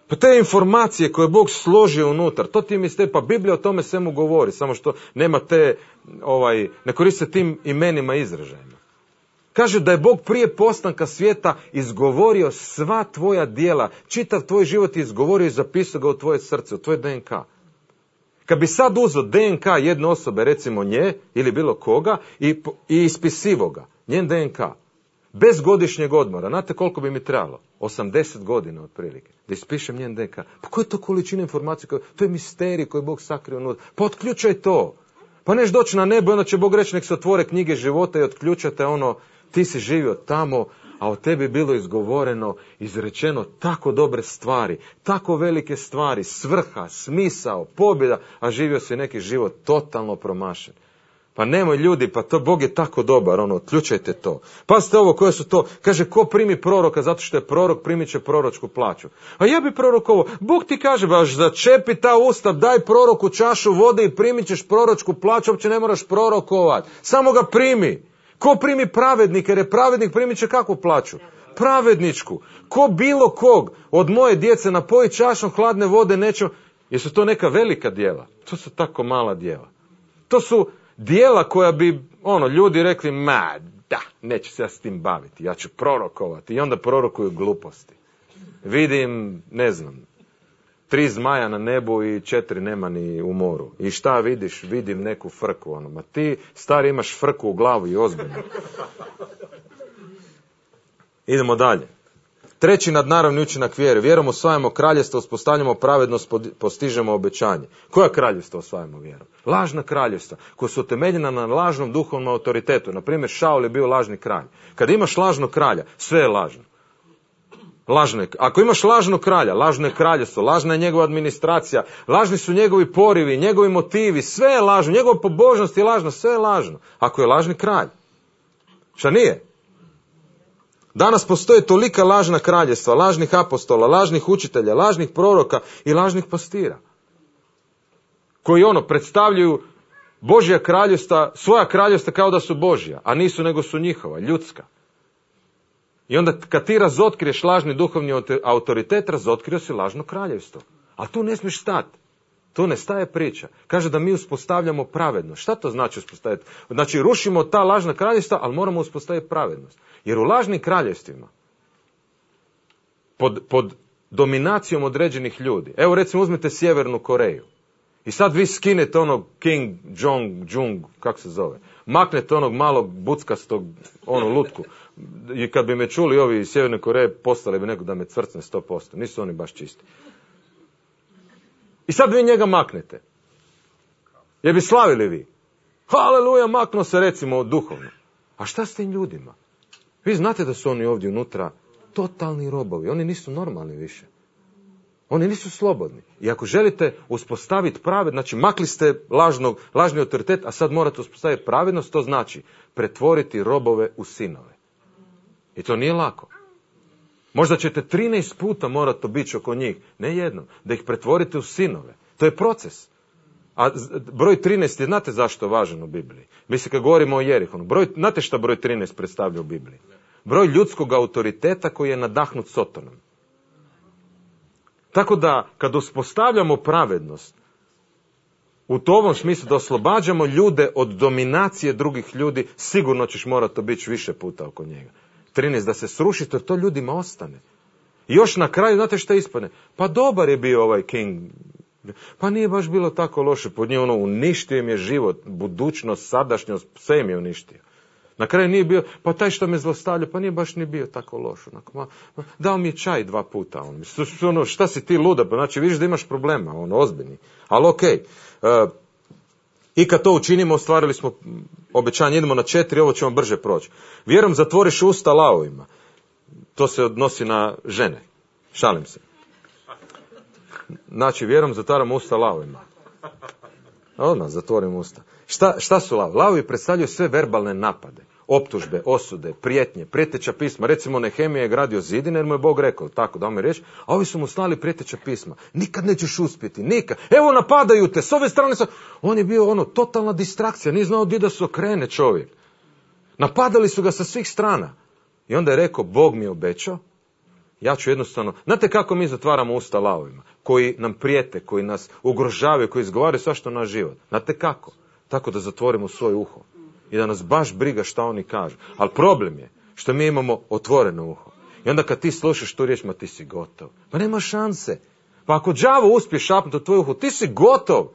pa te informacije koje Bog složio unutar, to ti mislite, pa Biblija o tome svemu govori, samo što nema te, ovaj, ne koriste tim imenima izražajima. Kaže da je Bog prije postanka svijeta izgovorio sva tvoja djela, čitav tvoj život je izgovorio i zapisao ga u tvoje srce, u tvoj D N K. Kad bi sad uzeo D N K jedne osobe, recimo nje, ili bilo koga, i, i ispisivo ga, njen D N K, bez godišnjeg odmora, znate koliko bi mi trebalo? osamdeset godina otprilike, da ispišem njen D N K. Pa koja je to količina informacije? To je misterij koji Bog sakrio unutra. Pa otključaj to. Pa neš doći na nebo, onda će Bog reći nek se otvore knjige života i otključate ono, ti si živio tamo, a o tebi bilo izgovoreno, izrečeno tako dobre stvari, tako velike stvari, svrha, smisao, pobjeda, a živio si neki život totalno promašen. Pa nemoj ljudi, pa to Bog je tako dobar, ono, otključajte to. Pazite ovo, koje su to, kaže, ko primi proroka, zato što je prorok, primit će proročku plaću. A ja bi prorokovo, Bog ti kaže, baš začepi ta usta, daj proroku čašu vode i primit ćeš proročku plaću, uopće ne moraš prorokovat, samo ga primi. Ko primi pravednika, jer je pravednik, primit će kakvu plaću? Pravedničku. Ko bilo kog od moje djece napoji čašom hladne vode neće, jesu to neka velika djela? To su tako mala djela. To su djela koja bi, ono, ljudi rekli, ma, da, neću se ja s tim baviti, ja ću prorokovati. I onda prorokuju gluposti. Vidim, ne znam, tri zmaja na nebu i četiri nema ni u moru. I šta vidiš? Vidim neku frku, ono, ma ti, stari, imaš frku u glavu i ozbiljno. Idemo dalje. Treći nadnaravni učinak vjere. Vjerom osvajamo kraljevstvo, uspostavljamo pravednost, postižemo obećanje. Koja kraljevstva osvajamo vjerom? Lažna kraljevstva, koja su utemeljena na lažnom duhovnom autoritetu. Na primjer, Šaul je bio lažni kralj. Kad imaš lažnog kralja, sve je lažno. Lažno je. Ako imaš lažnog kralja, lažno je kraljevstvo, lažna je njegova administracija, lažni su njegovi porivi, njegovi motivi, sve je lažno, njegova pobožnost je lažna, sve je lažno. Ako je lažni kralj. Šta nije? Danas postoje tolika lažna kraljevstva, lažnih apostola, lažnih učitelja, lažnih proroka i lažnih pastira. Koji ono predstavljaju Božja kraljevstva, svoja kraljevstva kao da su Božja, a nisu nego su njihova, ljudska. I onda kad ti razotkriješ lažni duhovni autoritet, razotkrio si lažno kraljevstvo. A tu ne smiješ stati. Tu ne staje priča. Kaže da mi uspostavljamo pravednost. Šta to znači uspostaviti? Znači rušimo ta lažna kraljevstva, ali moramo uspostaviti pravednost. Jer u lažnim kraljevstvima, pod, pod dominacijom određenih ljudi, evo recimo uzmite Sjevernu Koreju, i sad vi skinete onog King Jong Jung, kako se zove, maknete onog malog buckastog, onu lutku, i kad bi me čuli ovi iz Sjeverne Koreje, postali bi neko da me cvrcne sto posto, nisu oni baš čisti. I sad vi njega maknete. Jer bi slavili vi. Haleluja, maknuo se recimo duhovno. A šta s tim ljudima? Vi znate da su oni ovdje unutra totalni robovi. Oni nisu normalni više. Oni nisu slobodni. I ako želite uspostaviti pravednost, znači makli ste lažnog, lažni autoritet, a sad morate uspostaviti pravednost, to znači pretvoriti robove u sinove. I to nije lako. Možda ćete trinaest puta morati obići oko njih, ne jednom, da ih pretvorite u sinove. To je proces. A broj trinaest je, znate zašto je važan u Bibliji? Mislim, kad govorimo o Jerihonu, broj, znate šta broj trinaest predstavlja u Bibliji? Broj ljudskog autoriteta koji je nadahnut Sotonom. Tako da, kad uspostavljamo pravednost, u tom smislu da oslobađamo ljude od dominacije drugih ljudi, sigurno ćeš morati obići više puta oko njega. trinaest da se sruši, to, to ljudima ostane. I još na kraju, znate šta ispadne? Pa dobar je bio ovaj King. Pa nije baš bilo tako loše pod njim, ono, uništio im je život, budućnost, sadašnjost, sve im je uništio. Na kraju nije bio, pa taj što me zlostavlja, pa nije baš ni bio tako loš. Onako, ma, ma, dao mi je čaj dva puta. On, ono, šta si ti luda? Pa znači vidiš da imaš problema, ono, ozbiljni. Ali okej. Okay. Uh, I kad to učinimo, ostvarili smo obećanje, idemo na četiri, ovo ćemo brže proći. Vjerom zatvoriš usta lavovima. To se odnosi na žene. Šalim se. Znači, vjerom zatvaramo usta lavovima. Odmah zatvorimo usta. Šta, šta su lavovi? Lavovi predstavljaju sve verbalne napade. Optužbe, osude, prijetnje, prijeteća pisma. Recimo, Nehemija je gradio zidine jer mu je Bog rekao, tako da mi reći, a ovi su mu slali prijeteća pisma. Nikad nećeš uspjeti, nikad. Evo napadaju te, s ove strane su... On je bio ono, totalna distrakcija, nije znao gdje da se okrene čovjek. Napadali su ga sa svih strana. I onda je rekao, Bog mi je obećao Ja ću jednostavno... Znate kako mi zatvaramo usta lavovima? Koji nam prijete, koji nas ugrožavaju, koji izgovaraju svašta na život. Znate kako? Tako da zatvorimo svoje uho. I da nas baš briga šta oni kažu. Ali problem je što mi imamo otvoreno uho. I onda kad ti slušaš tu riječ, ma ti si gotov. Pa nema šanse. Pa ako đavo uspije šapnuti u tvoju uho, ti si gotov.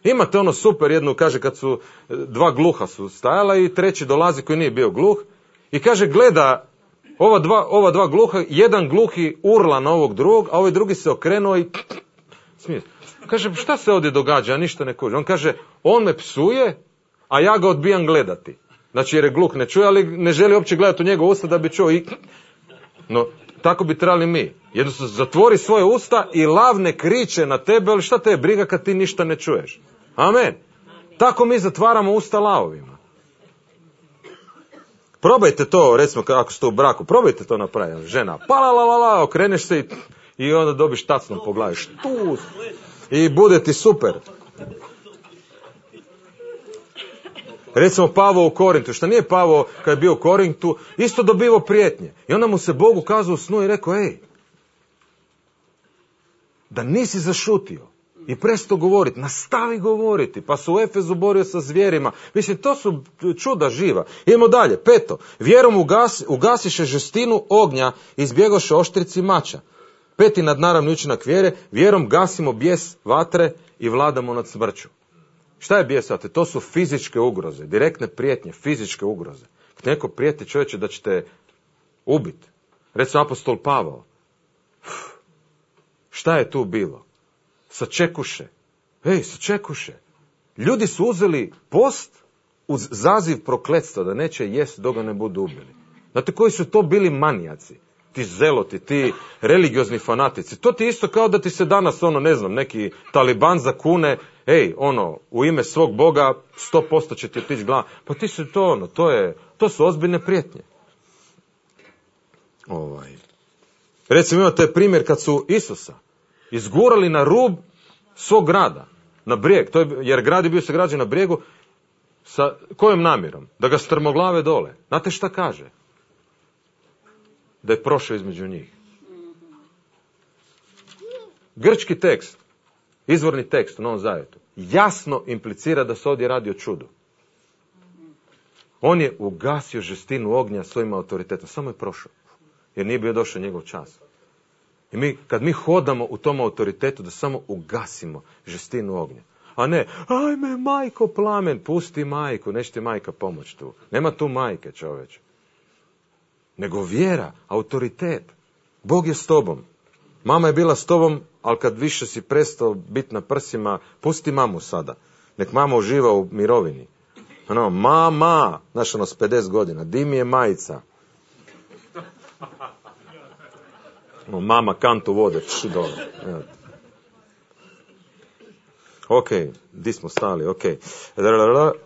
Imate ono super jednu, kaže, kad su dva gluha su stajala i treći dolazi koji nije bio gluh. I kaže, gleda ova dva, ova dva gluha, jedan gluhi urla na ovog drugog, a ovaj drugi se okrenuo i smije. Kaže, šta se ovdje događa, ja ništa ne kužim. On kaže, on me psuje, a ja ga odbijam gledati. Znači, jer je gluh, ne čuje, ali ne želi uopće gledati u njegov usta da bi čuo i... No, tako bi trebali mi. Jednostavno, zatvori svoje usta i lav ne kriče na tebe, ali šta te je briga kad ti ništa ne čuješ? Amen. Tako mi zatvaramo usta lavovima. Probajte to, recimo, ako ste u braku, probajte to napraviti. Žena, pa la la la la, okreneš se i, i onda dobiš tacnom po glavi. Štus. I bude ti super. Recimo Pavao u Korintu, što nije Pavao kad je bio u Korintu, isto dobivao prijetnje. I onda mu se Bog ukazao u snu i rekao, ej, da nisi zašutio i prestao govoriti, nastavi govoriti, pa se u Efezu borio sa zvijerima. Mislim, to su čuda živa. Idemo dalje, peto, vjerom ugas, ugasiše žestinu ognja i izbjegoše oštrici mača. Peti nadnaravni učinak vjere, vjerom gasimo bijes vatre i vladamo nad smrću. Šta je bijes vatre? To su fizičke ugroze, direktne prijetnje, fizičke ugroze. Kad neko prijeti čovječe da ćete ubiti, recimo apostol Pavao, šta je tu bilo? Sačekuše. Ej, sačekuše. Ljudi su uzeli post uz zaziv prokletstva da neće jest dok ga ne budu ubili. Znate koji su to bili manijaci? Ti zeloti, ti religiozni fanatici. To ti isto kao da ti se danas, ono, ne znam, neki taliban zakune, ej, ono, u ime svog Boga sto posto će ti otići glava. Pa ti su to, ono, to je, to su ozbiljne prijetnje. Ovaj. Recimo imate primjer kad su Isusa izgurali na rub svog grada, na brijeg, to je, jer grad je bio sagrađen na brijegu, sa kojom namjerom? Da ga strmoglave dole. Znate šta kaže? Da je prošao između njih. Grčki tekst, izvorni tekst u Novom Zavjetu, jasno implicira da se ovdje radi o čudu. On je ugasio žestinu ognja svojim autoritetom, samo je prošao, jer nije bio došao njegov čas. I mi, kad mi hodamo u tom autoritetu, da samo ugasimo žestinu ognja. A ne, ajme majko plamen, pusti majku, neće ti majka pomoći tu. Nema tu majke, čoveče. Nego vjera, autoritet. Bog je s tobom. Mama je bila s tobom, ali kad više si prestao biti na prsima, pusti mamu sada. Nek mama uživa u mirovini. Ano, mama, znaš ono s pedeset godina, di mi je majica? No, mama kantu vode, či dole. Ok, di smo stali, ok.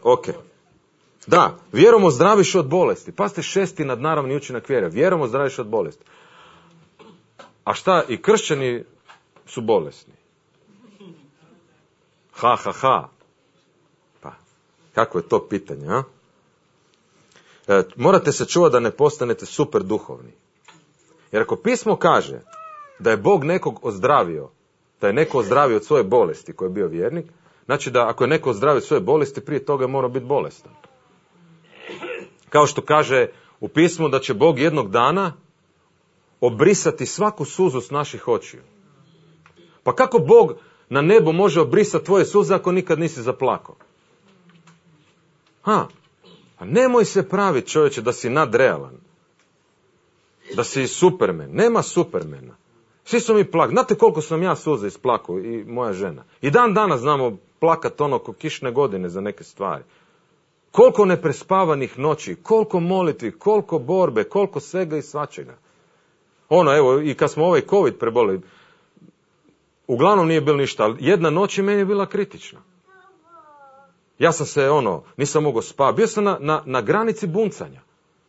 Ok. Da, vjerom ozdraviš od bolesti. Pazite, šesti nadnaravni učinak vjere. Vjerom ozdraviš od bolesti. A šta, i kršćani su bolesni? Ha, ha, ha. Pa, kako je to pitanje, a? E, morate se čuvati da ne postanete super duhovni. Jer ako pismo kaže da je Bog nekog ozdravio, da je neko ozdravio od svoje bolesti koji je bio vjernik, znači da ako je neko ozdravio od svoje bolesti, prije toga je morao biti bolestan. Kao što kaže u pismu da će Bog jednog dana obrisati svaku suzu s naših očiju. Pa kako Bog na nebo može obrisati tvoje suze ako nikad nisi zaplakao? Ha, pa nemoj se praviti, čovječe, da si nadrealan. Da si Superman. Nema Supermana. Svi su mi plakali. Znate koliko sam ja suza isplakao i moja žena. I dan danas znamo plakat ono ko kišne godine za neke stvari. Koliko neprespavanih noći, koliko molitvi, koliko borbe, koliko svega i svačega. Ono, evo, i kad smo ovaj COVID prebolili, uglavnom nije bilo ništa, ali jedna noć je meni bila kritična. Ja sam se, ono, nisam mogao spavati. Bio sam na, na, na granici buncanja.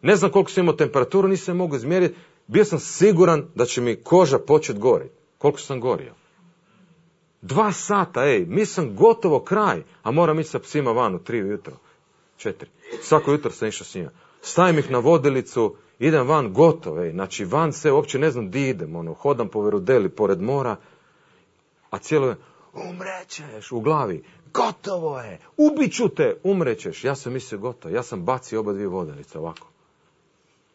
Ne znam koliko sam imao temperaturu, nisam mogao izmjeriti. Bio sam siguran da će mi koža početi goriti. Koliko sam gorio? Dva sata, ej, mi sam gotovo kraj, a moram ići sa psima van u tri ujutro. Četiri. Svako jutro sam išao s njima. stavim ih na vodilicu, idem van, gotove. Znači, van se, uopće ne znam di idem, ono, hodam po Verudeli, pored mora, a cijelo, umrećeš u glavi, gotovo je, ubiću te, umrećeš. Ja sam mislio gotovo, ja sam bacio oba dvije vodenice ovako.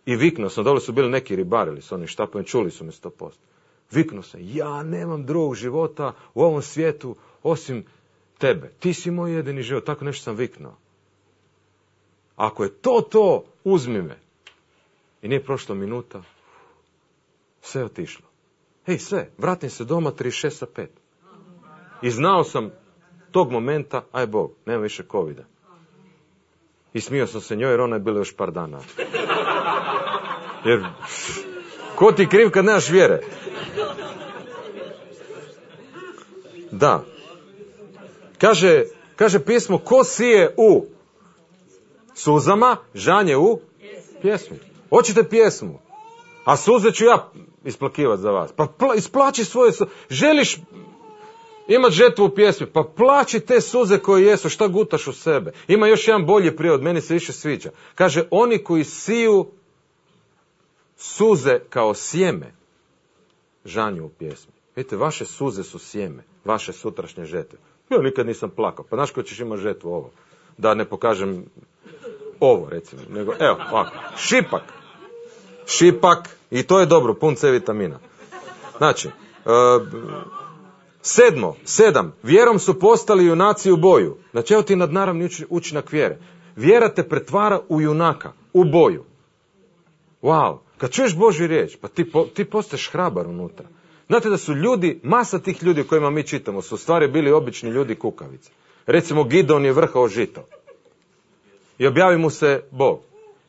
I viknuo sam, dole su bili neki ribarili s onim štapom, čuli su me sto posto. Viknuo sam, ja nemam drugog života u ovom svijetu osim tebe. Ti si moj jedini život, tako nešto sam viknuo. Ako je to to, uzmi me. I nije prošla minuta, sve je otišlo. Hej, sve, vratim se doma trideset šest sa pet. I znao sam tog momenta, aj Bog, nema više covida. I smio sam se njoj jer ona je bila još par dana. Jer, ko ti kriv kad nemaš vjere? Da. Kaže, kaže pismo, ko sije u suzama, žanje u pjesmu. Hoćete pjesmu? A suze ću ja isplakivati za vas. Pa pla, isplaći svoje suze. Želiš imat žetvu u pjesmi, pa plaći te suze koje jesu, šta gutaš u sebe. Ima još jedan bolji prijevod, meni se više sviđa. Kaže, oni koji siju suze kao sjeme, žanju u pjesmi. Vidite, vaše suze su sjeme, vaše sutrašnje žetve. Ja nikad nisam plakao, pa znaš ko ćeš imati žetvu ovo? Da ne pokažem ovo, recimo, nego, evo, ovako, šipak. Šipak, i to je dobro, pun C vitamina. Znači, uh, sedmo, sedam, vjerom su postali junaci u boju. Znači, evo ti nadnaravni učinak vjere. Vjera te pretvara u junaka, u boju. Wow, kad čuješ Božju riječ, pa ti, po, ti postaješ hrabar unutra. Znate da su ljudi, masa tih ljudi o kojima mi čitamo, su u stvari bili obični ljudi kukavice. Recimo, Gideon je vrhao žito. I objavi mu se Bog.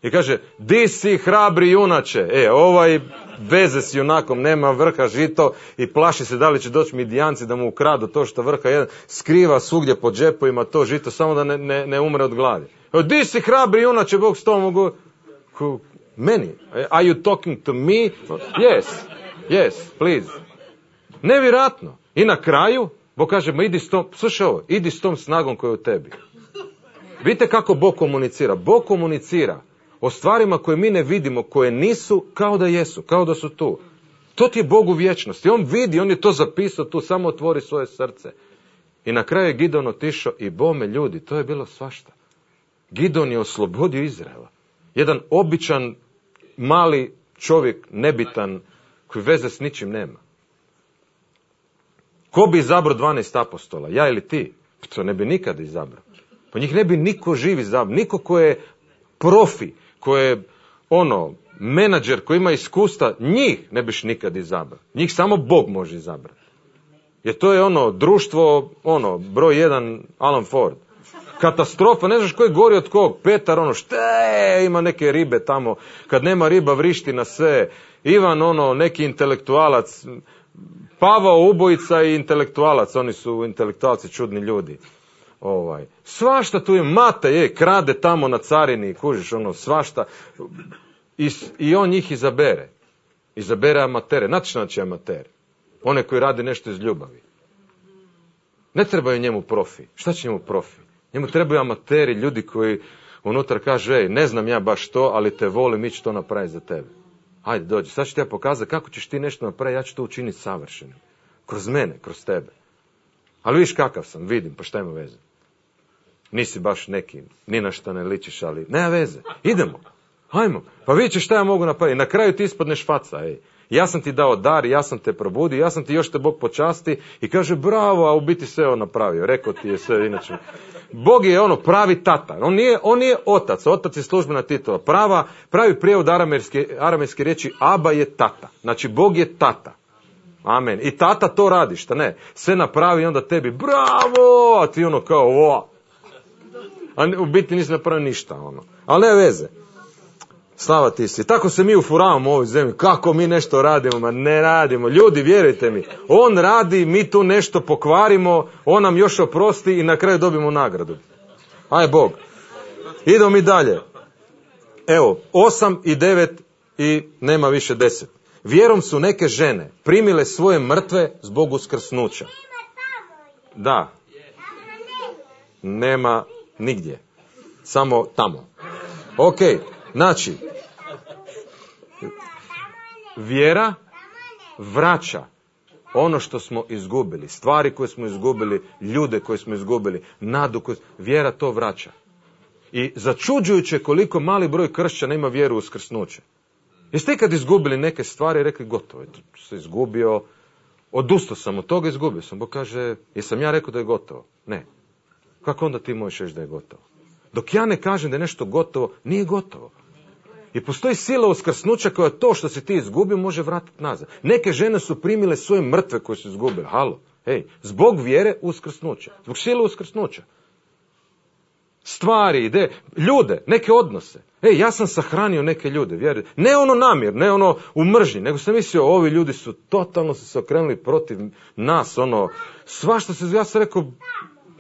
I kaže, di si hrabri junače? E, ovaj veze s junakom, nema vrha žito i plaši se da li će doći Midijanci da mu ukradu to što vrha jedan, skriva svugdje po džepovima to žito, samo da ne, ne, ne umre od gladi. E, di si hrabri junače, Bog s tom mogu... Meni? Are you talking to me? Yes, yes, please. Nevjerojatno. I na kraju, Bog kaže, ma idi s tom, slušaj ovo, idi s tom snagom koja je u tebi. Vidite kako Bog komunicira. Bog komunicira o stvarima koje mi ne vidimo, koje nisu kao da jesu, kao da su tu. To ti je Bog u vječnosti. On vidi, on je to zapisao tu, samo otvori svoje srce. I na kraju je Gideon otišao i bome ljudi, to je bilo svašta. Gideon je oslobodio Izraela. Jedan običan, mali čovjek, nebitan, koji veze s ničim nema. Ko bi izabrao dvanaest apostola? Ja ili ti? To ne bi nikada izabrao. Pa njih ne bi niko živ izabrao. Niko ko je profi, ko je ono, menadžer, koji ima iskustva, njih ne biš nikad izabrao. Njih samo Bog može izabrati. Jer to je ono, društvo, ono, broj jedan, Alan Ford. Katastrofa, ne znaš ko je gori od kog. Petar, ono, šte, ima neke ribe tamo. Kad nema riba, vrišti na sve. Ivan, ono, neki intelektualac. Pavao, ubojica i intelektualac. Oni su intelektualci, čudni ljudi. Ovaj. Svašta tu je, Mata je, krade tamo na carini, kužiš, ono, svašta. I, i on njih izabere. Izabere amatere. Znate što znači amater? One koji rade nešto iz ljubavi. Ne trebaju njemu profi. Šta će njemu profi? Njemu trebaju amateri, ljudi koji unutra kažu, ej, ne znam ja baš to, ali te volim, mi ću to napraviti za tebe. Hajde, dođi, sad ću ti ja pokazati kako ćeš ti nešto napraviti, ja ću to učiniti savršenim. Kroz mene, kroz tebe. Ali vidiš kakav sam, vidim, pa šta ima veze? Nisi baš neki, ni na šta ne ličiš, ali nema veze. Idemo, hajmo, pa vidjet ćeš šta ja mogu napraviti. Na kraju ti ispadneš faca, ej. Ja sam ti dao dar, ja sam te probudio, ja sam ti još te Bog počasti i kaže bravo, a u biti sve on napravio. Rekao ti je sve, inače. Bog je ono pravi tata. On nije, on nije otac, otac je službena titula. Prava, pravi prijevod aramejske, aramejske riječi Aba je tata. Znači Bog je tata. Amen. I tata to radi, šta ne? Sve napravi i onda tebi bravo, a ti ono kao o. A u biti nisi napravio ništa. Ono. Ali ne veze. Slava ti si. Tako se mi ufuravamo u ovoj zemlji. Kako mi nešto radimo? Ma ne radimo. Ljudi, vjerujte mi. On radi, mi tu nešto pokvarimo, on nam još oprosti i na kraju dobimo nagradu. Aj Bog. Idemo mi dalje. Evo, osam i devet i nema više deset. Vjerom su neke žene primile svoje mrtve zbog uskrsnuća. Da. Nema nigdje. Samo tamo. Ok. Znači, vjera vraća ono što smo izgubili, stvari koje smo izgubili, ljude koje smo izgubili, nadu koju... Vjera to vraća. I začuđujuće koliko mali broj kršćana ima vjeru u uskrsnuće. Jeste ikad izgubili neke stvari i rekli gotovo, je, to se izgubio, odustao sam od toga, izgubio sam. Bog kaže, jesam ja rekao da je gotovo? Ne. Kako onda ti možeš reći da je gotovo? Dok ja ne kažem da je nešto gotovo, nije gotovo. I postoji sila uskrsnuća koja to što si ti izgubio može vratiti nazad. Neke žene su primile svoje mrtve koje su izgubile. Halo, hej, zbog vjere uskrsnuća. Zbog sile uskrsnuća. Stvari, ide, ljude, neke odnose. Ej, ja sam sahranio neke ljude, vjerujte. Ne ono namjer, ne ono u mržnji, nego sam mislio, ovi ljudi su totalno se okrenuli protiv nas, ono, svašta se, ja sam rekao,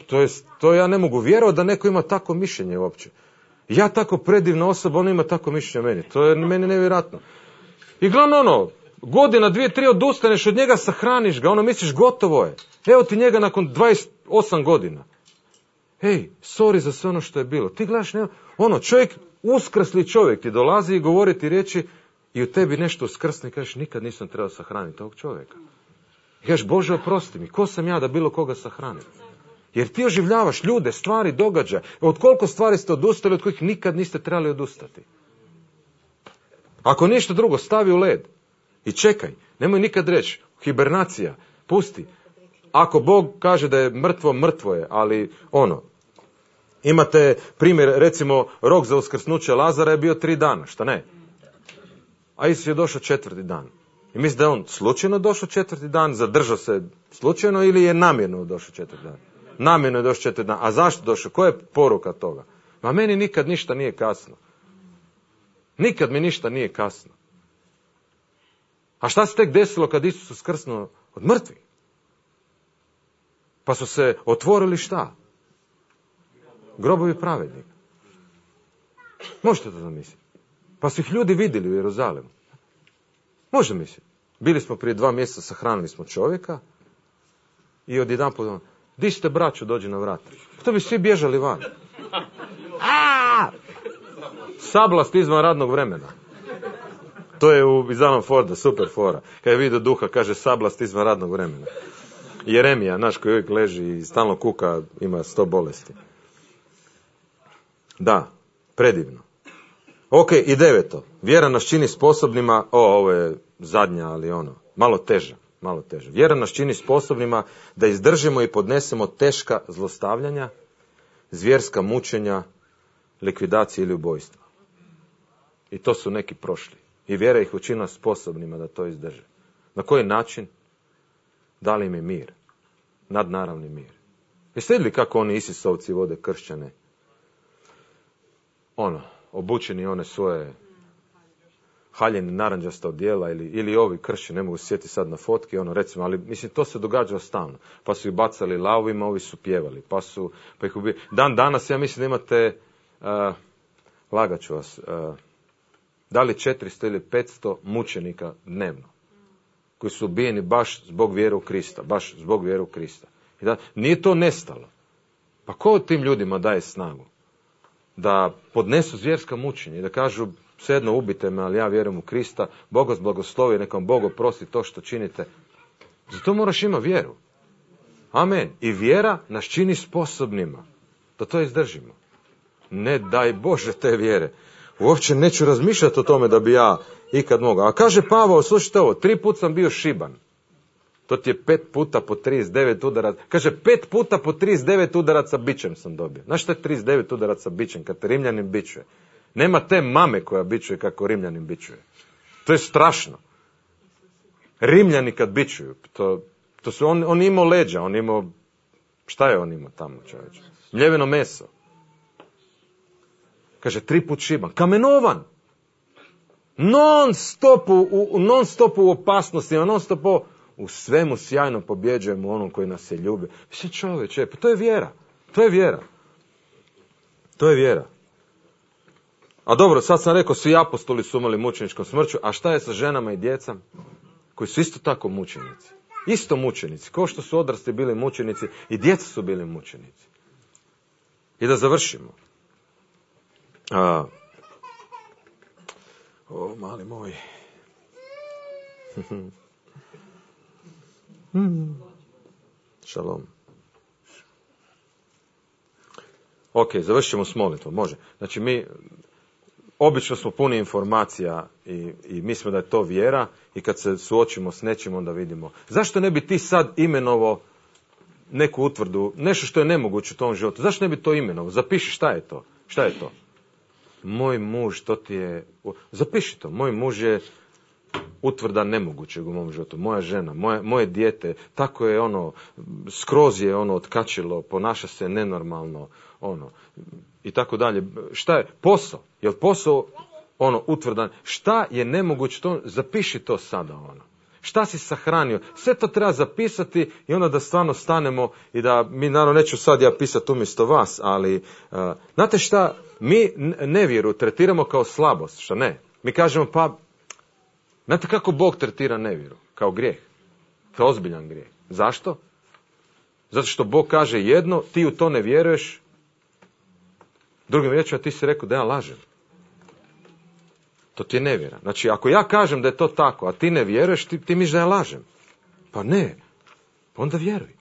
to je, to ja ne mogu vjerovati da neko ima tako mišljenje uopće. Ja tako predivna osoba, on ima tako mišljenje meni. To je meni nevjerojatno. I glavno ono, godina, dvije, tri odustaneš od njega, sahraniš ga, ono misliš gotovo je. Evo ti njega nakon dvadeset osam godina. Hej, sorry za sve ono što je bilo. Ti gledaš, ne, ono, čovjek, uskrsli čovjek ti dolazi i govori ti riječi i u tebi nešto uskrsne i kažeš, nikad nisam trebao sahraniti tog čovjeka. I kažeš, Bože, oprosti mi, ko sam ja da bilo koga sahranim? Jer ti oživljavaš ljude, stvari, događaje. Od koliko stvari ste odustali, od kojih nikad niste trebali odustati? Ako ništa drugo, stavi u led. I čekaj, nemoj nikad reći, hibernacija, pusti. Ako Bog kaže da je mrtvo, mrtvo je, ali ono, imate primjer, recimo, rok za uskrsnuće Lazara je bio tri dana, šta ne? A Isus je došao četvrti dan. I misli da je on slučajno došao četvrti dan, zadržao se slučajno ili je namjerno došao četvrti dan? Namjerno je došao četvrti dan. A zašto došao? Koja je poruka toga? Ma meni nikad ništa nije kasno. Nikad mi ništa nije kasno. A šta se tek desilo kad Isus uskrsnuo od mrtvih? Pa su se otvorili šta? Grobovi pravednika. Možete to zamisliti? Pa su ih ljudi vidjeli u Jeruzalemu. Može misliti. Bili smo prije dva mjeseca, sahranili smo čovjeka i odjedanput, di ste braćo, dođi na vrat. To bi svi bježali van. A! Sablast izvan radnog vremena. To je u iz Alan Forda, super fora. Kad je vidio duha, kaže sablast izvan radnog vremena. Jeremija, naš koji uvijek leži i stalno kuka, ima sto bolesti. Da, predivno. Ok, i deveto. Vjera nas čini sposobnima, o, ovo je zadnja, ali ono, malo teža, malo teža. Vjera nas čini sposobnima da izdržimo i podnesemo teška zlostavljanja, zvjerska mučenja, likvidacije ili ubojstva. I to su neki prošli. I vjera ih učinila sposobnima da to izdrže. Na koji način? Dali im je mir. Nadnaravni mir. Jeste vidjeli kako oni Isisovci vode kršćane? Ono, obučeni one svoje haljene naranđasta odjela ili, ili ovi kršćani, ne mogu se sjetiti sad na fotke, ono recimo, ali mislim to se događa stalno. Pa su ih bacali lavovima, ovi su pjevali, pa su, pa ih ubijali. Dan danas ja mislim da imate, uh, lagat ću vas, uh, da li četiristo ili petsto mučenika dnevno, koji su ubijeni baš zbog vjere u Krista, baš zbog vjere u Krista. I da, nije to nestalo. Pa ko tim ljudima daje snagu? Da podnesu zvjerska mučenja i da kažu, svejedno ubite me, ali ja vjerujem u Krista, Bog vas blagoslovi, neka vam Bog oprosti to što činite. Zato moraš imati vjeru. Amen. I vjera nas čini sposobnima da to izdržimo. Ne daj Bože te vjere. Uopće neću razmišljati o tome da bi ja ikad mogao. A kaže Pavao, slušajte ovo, tri put sam bio šiban. To ti je pet puta po trideset devet udaraca. Kaže, pet puta po trideset devet udaraca bičem sam dobio. Znaš što je trideset devet udaraca bičem, kad te Rimljanin bičuje? Nema te mame koja bičuje kako Rimljanin bičuje. To je strašno. Rimljani kad bičuju, to, to su, on, on imao leđa, on imao, šta je on imao tamo, čovječe? Mljeveno meso. Kaže, tri put šiban. Kamenovan. Non stop u, u, non stop u opasnostima, non stop u, u svemu sjajno pobjeđujemo onom koji nas je ljubi. Mislim, čovječe, pa to je vjera. To je vjera. To je vjera. A dobro, sad sam rekao, svi apostoli su umrli mučeničkom smrću, a šta je sa ženama i djecom koji su isto tako mučenici? Isto mučenici, kao što su odrasli bili mučenici i djeca su bili mučenici. I da završimo. A, O, mali moj. Šalom. Ok, završit ćemo s molitvom, može. Znači mi, obično smo puni informacija i, i mislimo da je to vjera i kad se suočimo s nečim onda vidimo. Zašto ne bi ti sad imenovo neku utvrdu, nešto što je nemoguće u tom životu, zašto ne bi to imenovo? Zapiši šta je to, šta je to? Moj muž, to ti je, zapiši to, moj muž je utvrda nemogućeg u mom životu, moja žena, moje, moje dijete, tako je ono, skroz je ono otkačilo, ponaša se nenormalno, ono, i tako dalje. Šta je? Posao. Je li posao ono utvrdan? Šta je nemoguće? To, zapiši to sada, ono. Šta si sahranio? Sve to treba zapisati i onda da stvarno stanemo i da, mi naravno neću sad ja pisati umjesto vas, ali, uh, znate šta, mi nevjeru tretiramo kao slabost, šta ne? Mi kažemo, pa, znate kako Bog tretira nevjeru? Kao grijeh. Kao ozbiljan grijeh. Zašto? Zato što Bog kaže jedno, ti u to ne vjeruješ, drugim riječima ti si rekao da ja lažem. To ti je nevjera. Znači, ako ja kažem da je to tako, a ti ne vjeruješ, ti, ti misliš da ja lažem. Pa ne. Pa onda vjeruj.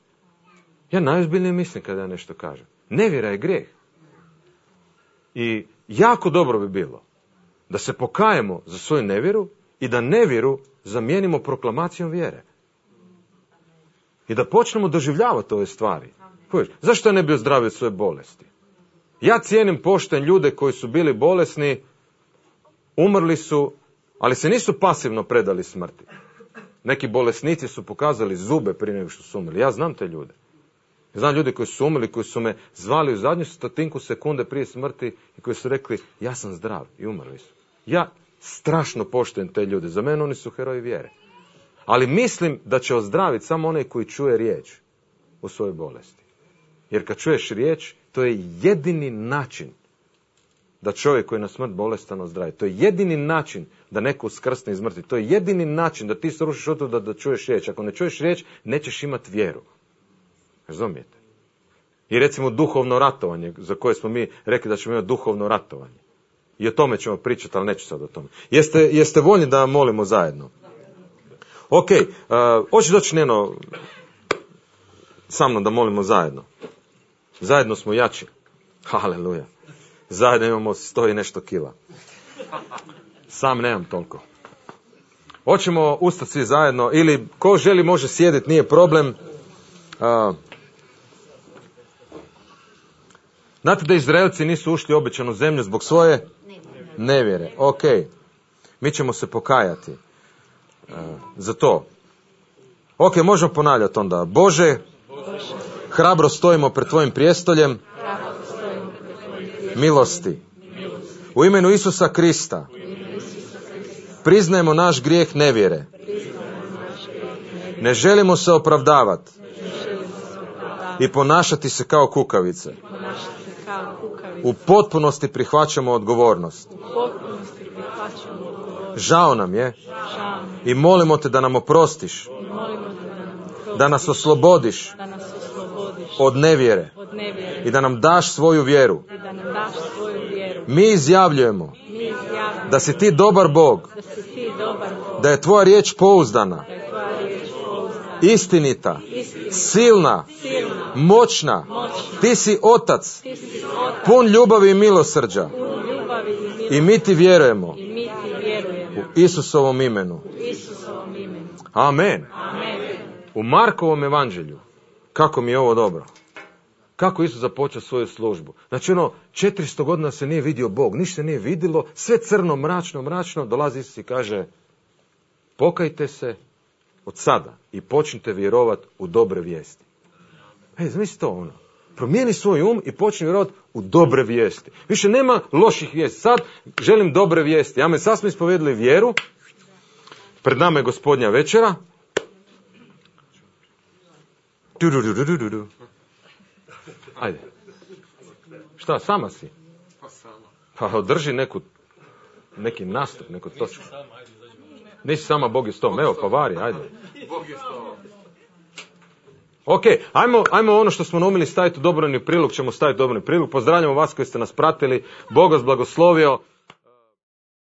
Ja najozbiljnije mislim kada ja nešto kažem. Nevjera je grijeh. I jako dobro bi bilo da se pokajemo za svoju nevjeru i da nevjeru zamijenimo proklamacijom vjere. I da počnemo doživljavati ove stvari. Zašto ja ne bi ozdravio svoje bolesti? Ja cijenim, poštujem ljude koji su bili bolesni, umrli su, ali se nisu pasivno predali smrti. Neki bolesnici su pokazali zube prije nego što su umrli. Ja znam te ljude. Znam ljude koji su umrli, koji su me zvali u zadnju stotinku sekunde prije smrti i koji su rekli, ja sam zdrav, i umrli su. Ja strašno poštujem te ljude. Za mene oni su heroji vjere. Ali mislim da će ozdraviti samo onaj koji čuje riječ u svojoj bolesti. Jer kad čuješ riječ, to je jedini način da čovjek koji je na smrt bolestan ozdravi. To je jedini način da neko uskrsne iz mrtvih. To je jedini način da ti srušiš od toga da, da čuješ riječ. Ako ne čuješ riječ, nećeš imati vjeru. Razumijete? I recimo duhovno ratovanje, za koje smo mi rekli da ćemo imati duhovno ratovanje. I o tome ćemo pričati, ali neću sad o tome. Jeste, jeste voljni da molimo zajedno? Ok, uh, hoće doći Neno sa mnom da molimo zajedno. Zajedno smo jači. Haleluja. Zajedno imamo sto i nešto kila. Sam nemam toliko. Hoćemo ustati svi zajedno, ili ko želi može sjediti, nije problem. Uh, znate da Izraelci nisu ušli u obećanu zemlju zbog svoje nevjere. Ok, mi ćemo se pokajati uh, za to. Ok, možemo ponavljati onda. Bože, hrabro stojimo pred tvojim prijestoljem milosti. U imenu Isusa Krista priznajemo naš grijeh nevjere. Ne želimo se opravdavati i ponašati se kao kukavice. U potpunosti prihvaćamo odgovornost. Žao nam je i molimo te da nam oprostiš, da nas oslobodiš od nevjere i da nam daš svoju vjeru. Mi izjavljujemo da si ti dobar Bog, da je tvoja riječ pouzdana, istinita, silna, moćna. Ti si otac, pun ljubavi i milosrđa. I mi ti vjerujemo u Isusovom imenu. Amen. U Markovom evanđelju, kako mi je ovo dobro. Kako Isus započeo svoju službu. Znači ono, četiristo godina se nije vidio Bog, ništa nije vidjelo, sve crno, mračno, mračno, dolazi Isus i kaže, pokajte se od sada i počnite vjerovati u dobre vijesti. Ej, zamisli to ono. Promijeni svoj um i počni vjerovati u dobre vijesti. Više nema loših vijesti. Sad želim dobre vijesti. Ja me sad smo ispovedali vjeru. Pred nama je Gospodnja večera. Ajde. Šta, sama si? Pa održi neku, neki nastup, neku točku. Nisi sama, Bog je s tom. Evo, pa vari, ajde. Ok, ajmo, ajmo ono što smo naumili staviti u dobrovni prilog, ćemo staviti u dobrovni prilog. Pozdravljamo vas koji ste nas pratili. Bog vas blagoslovio.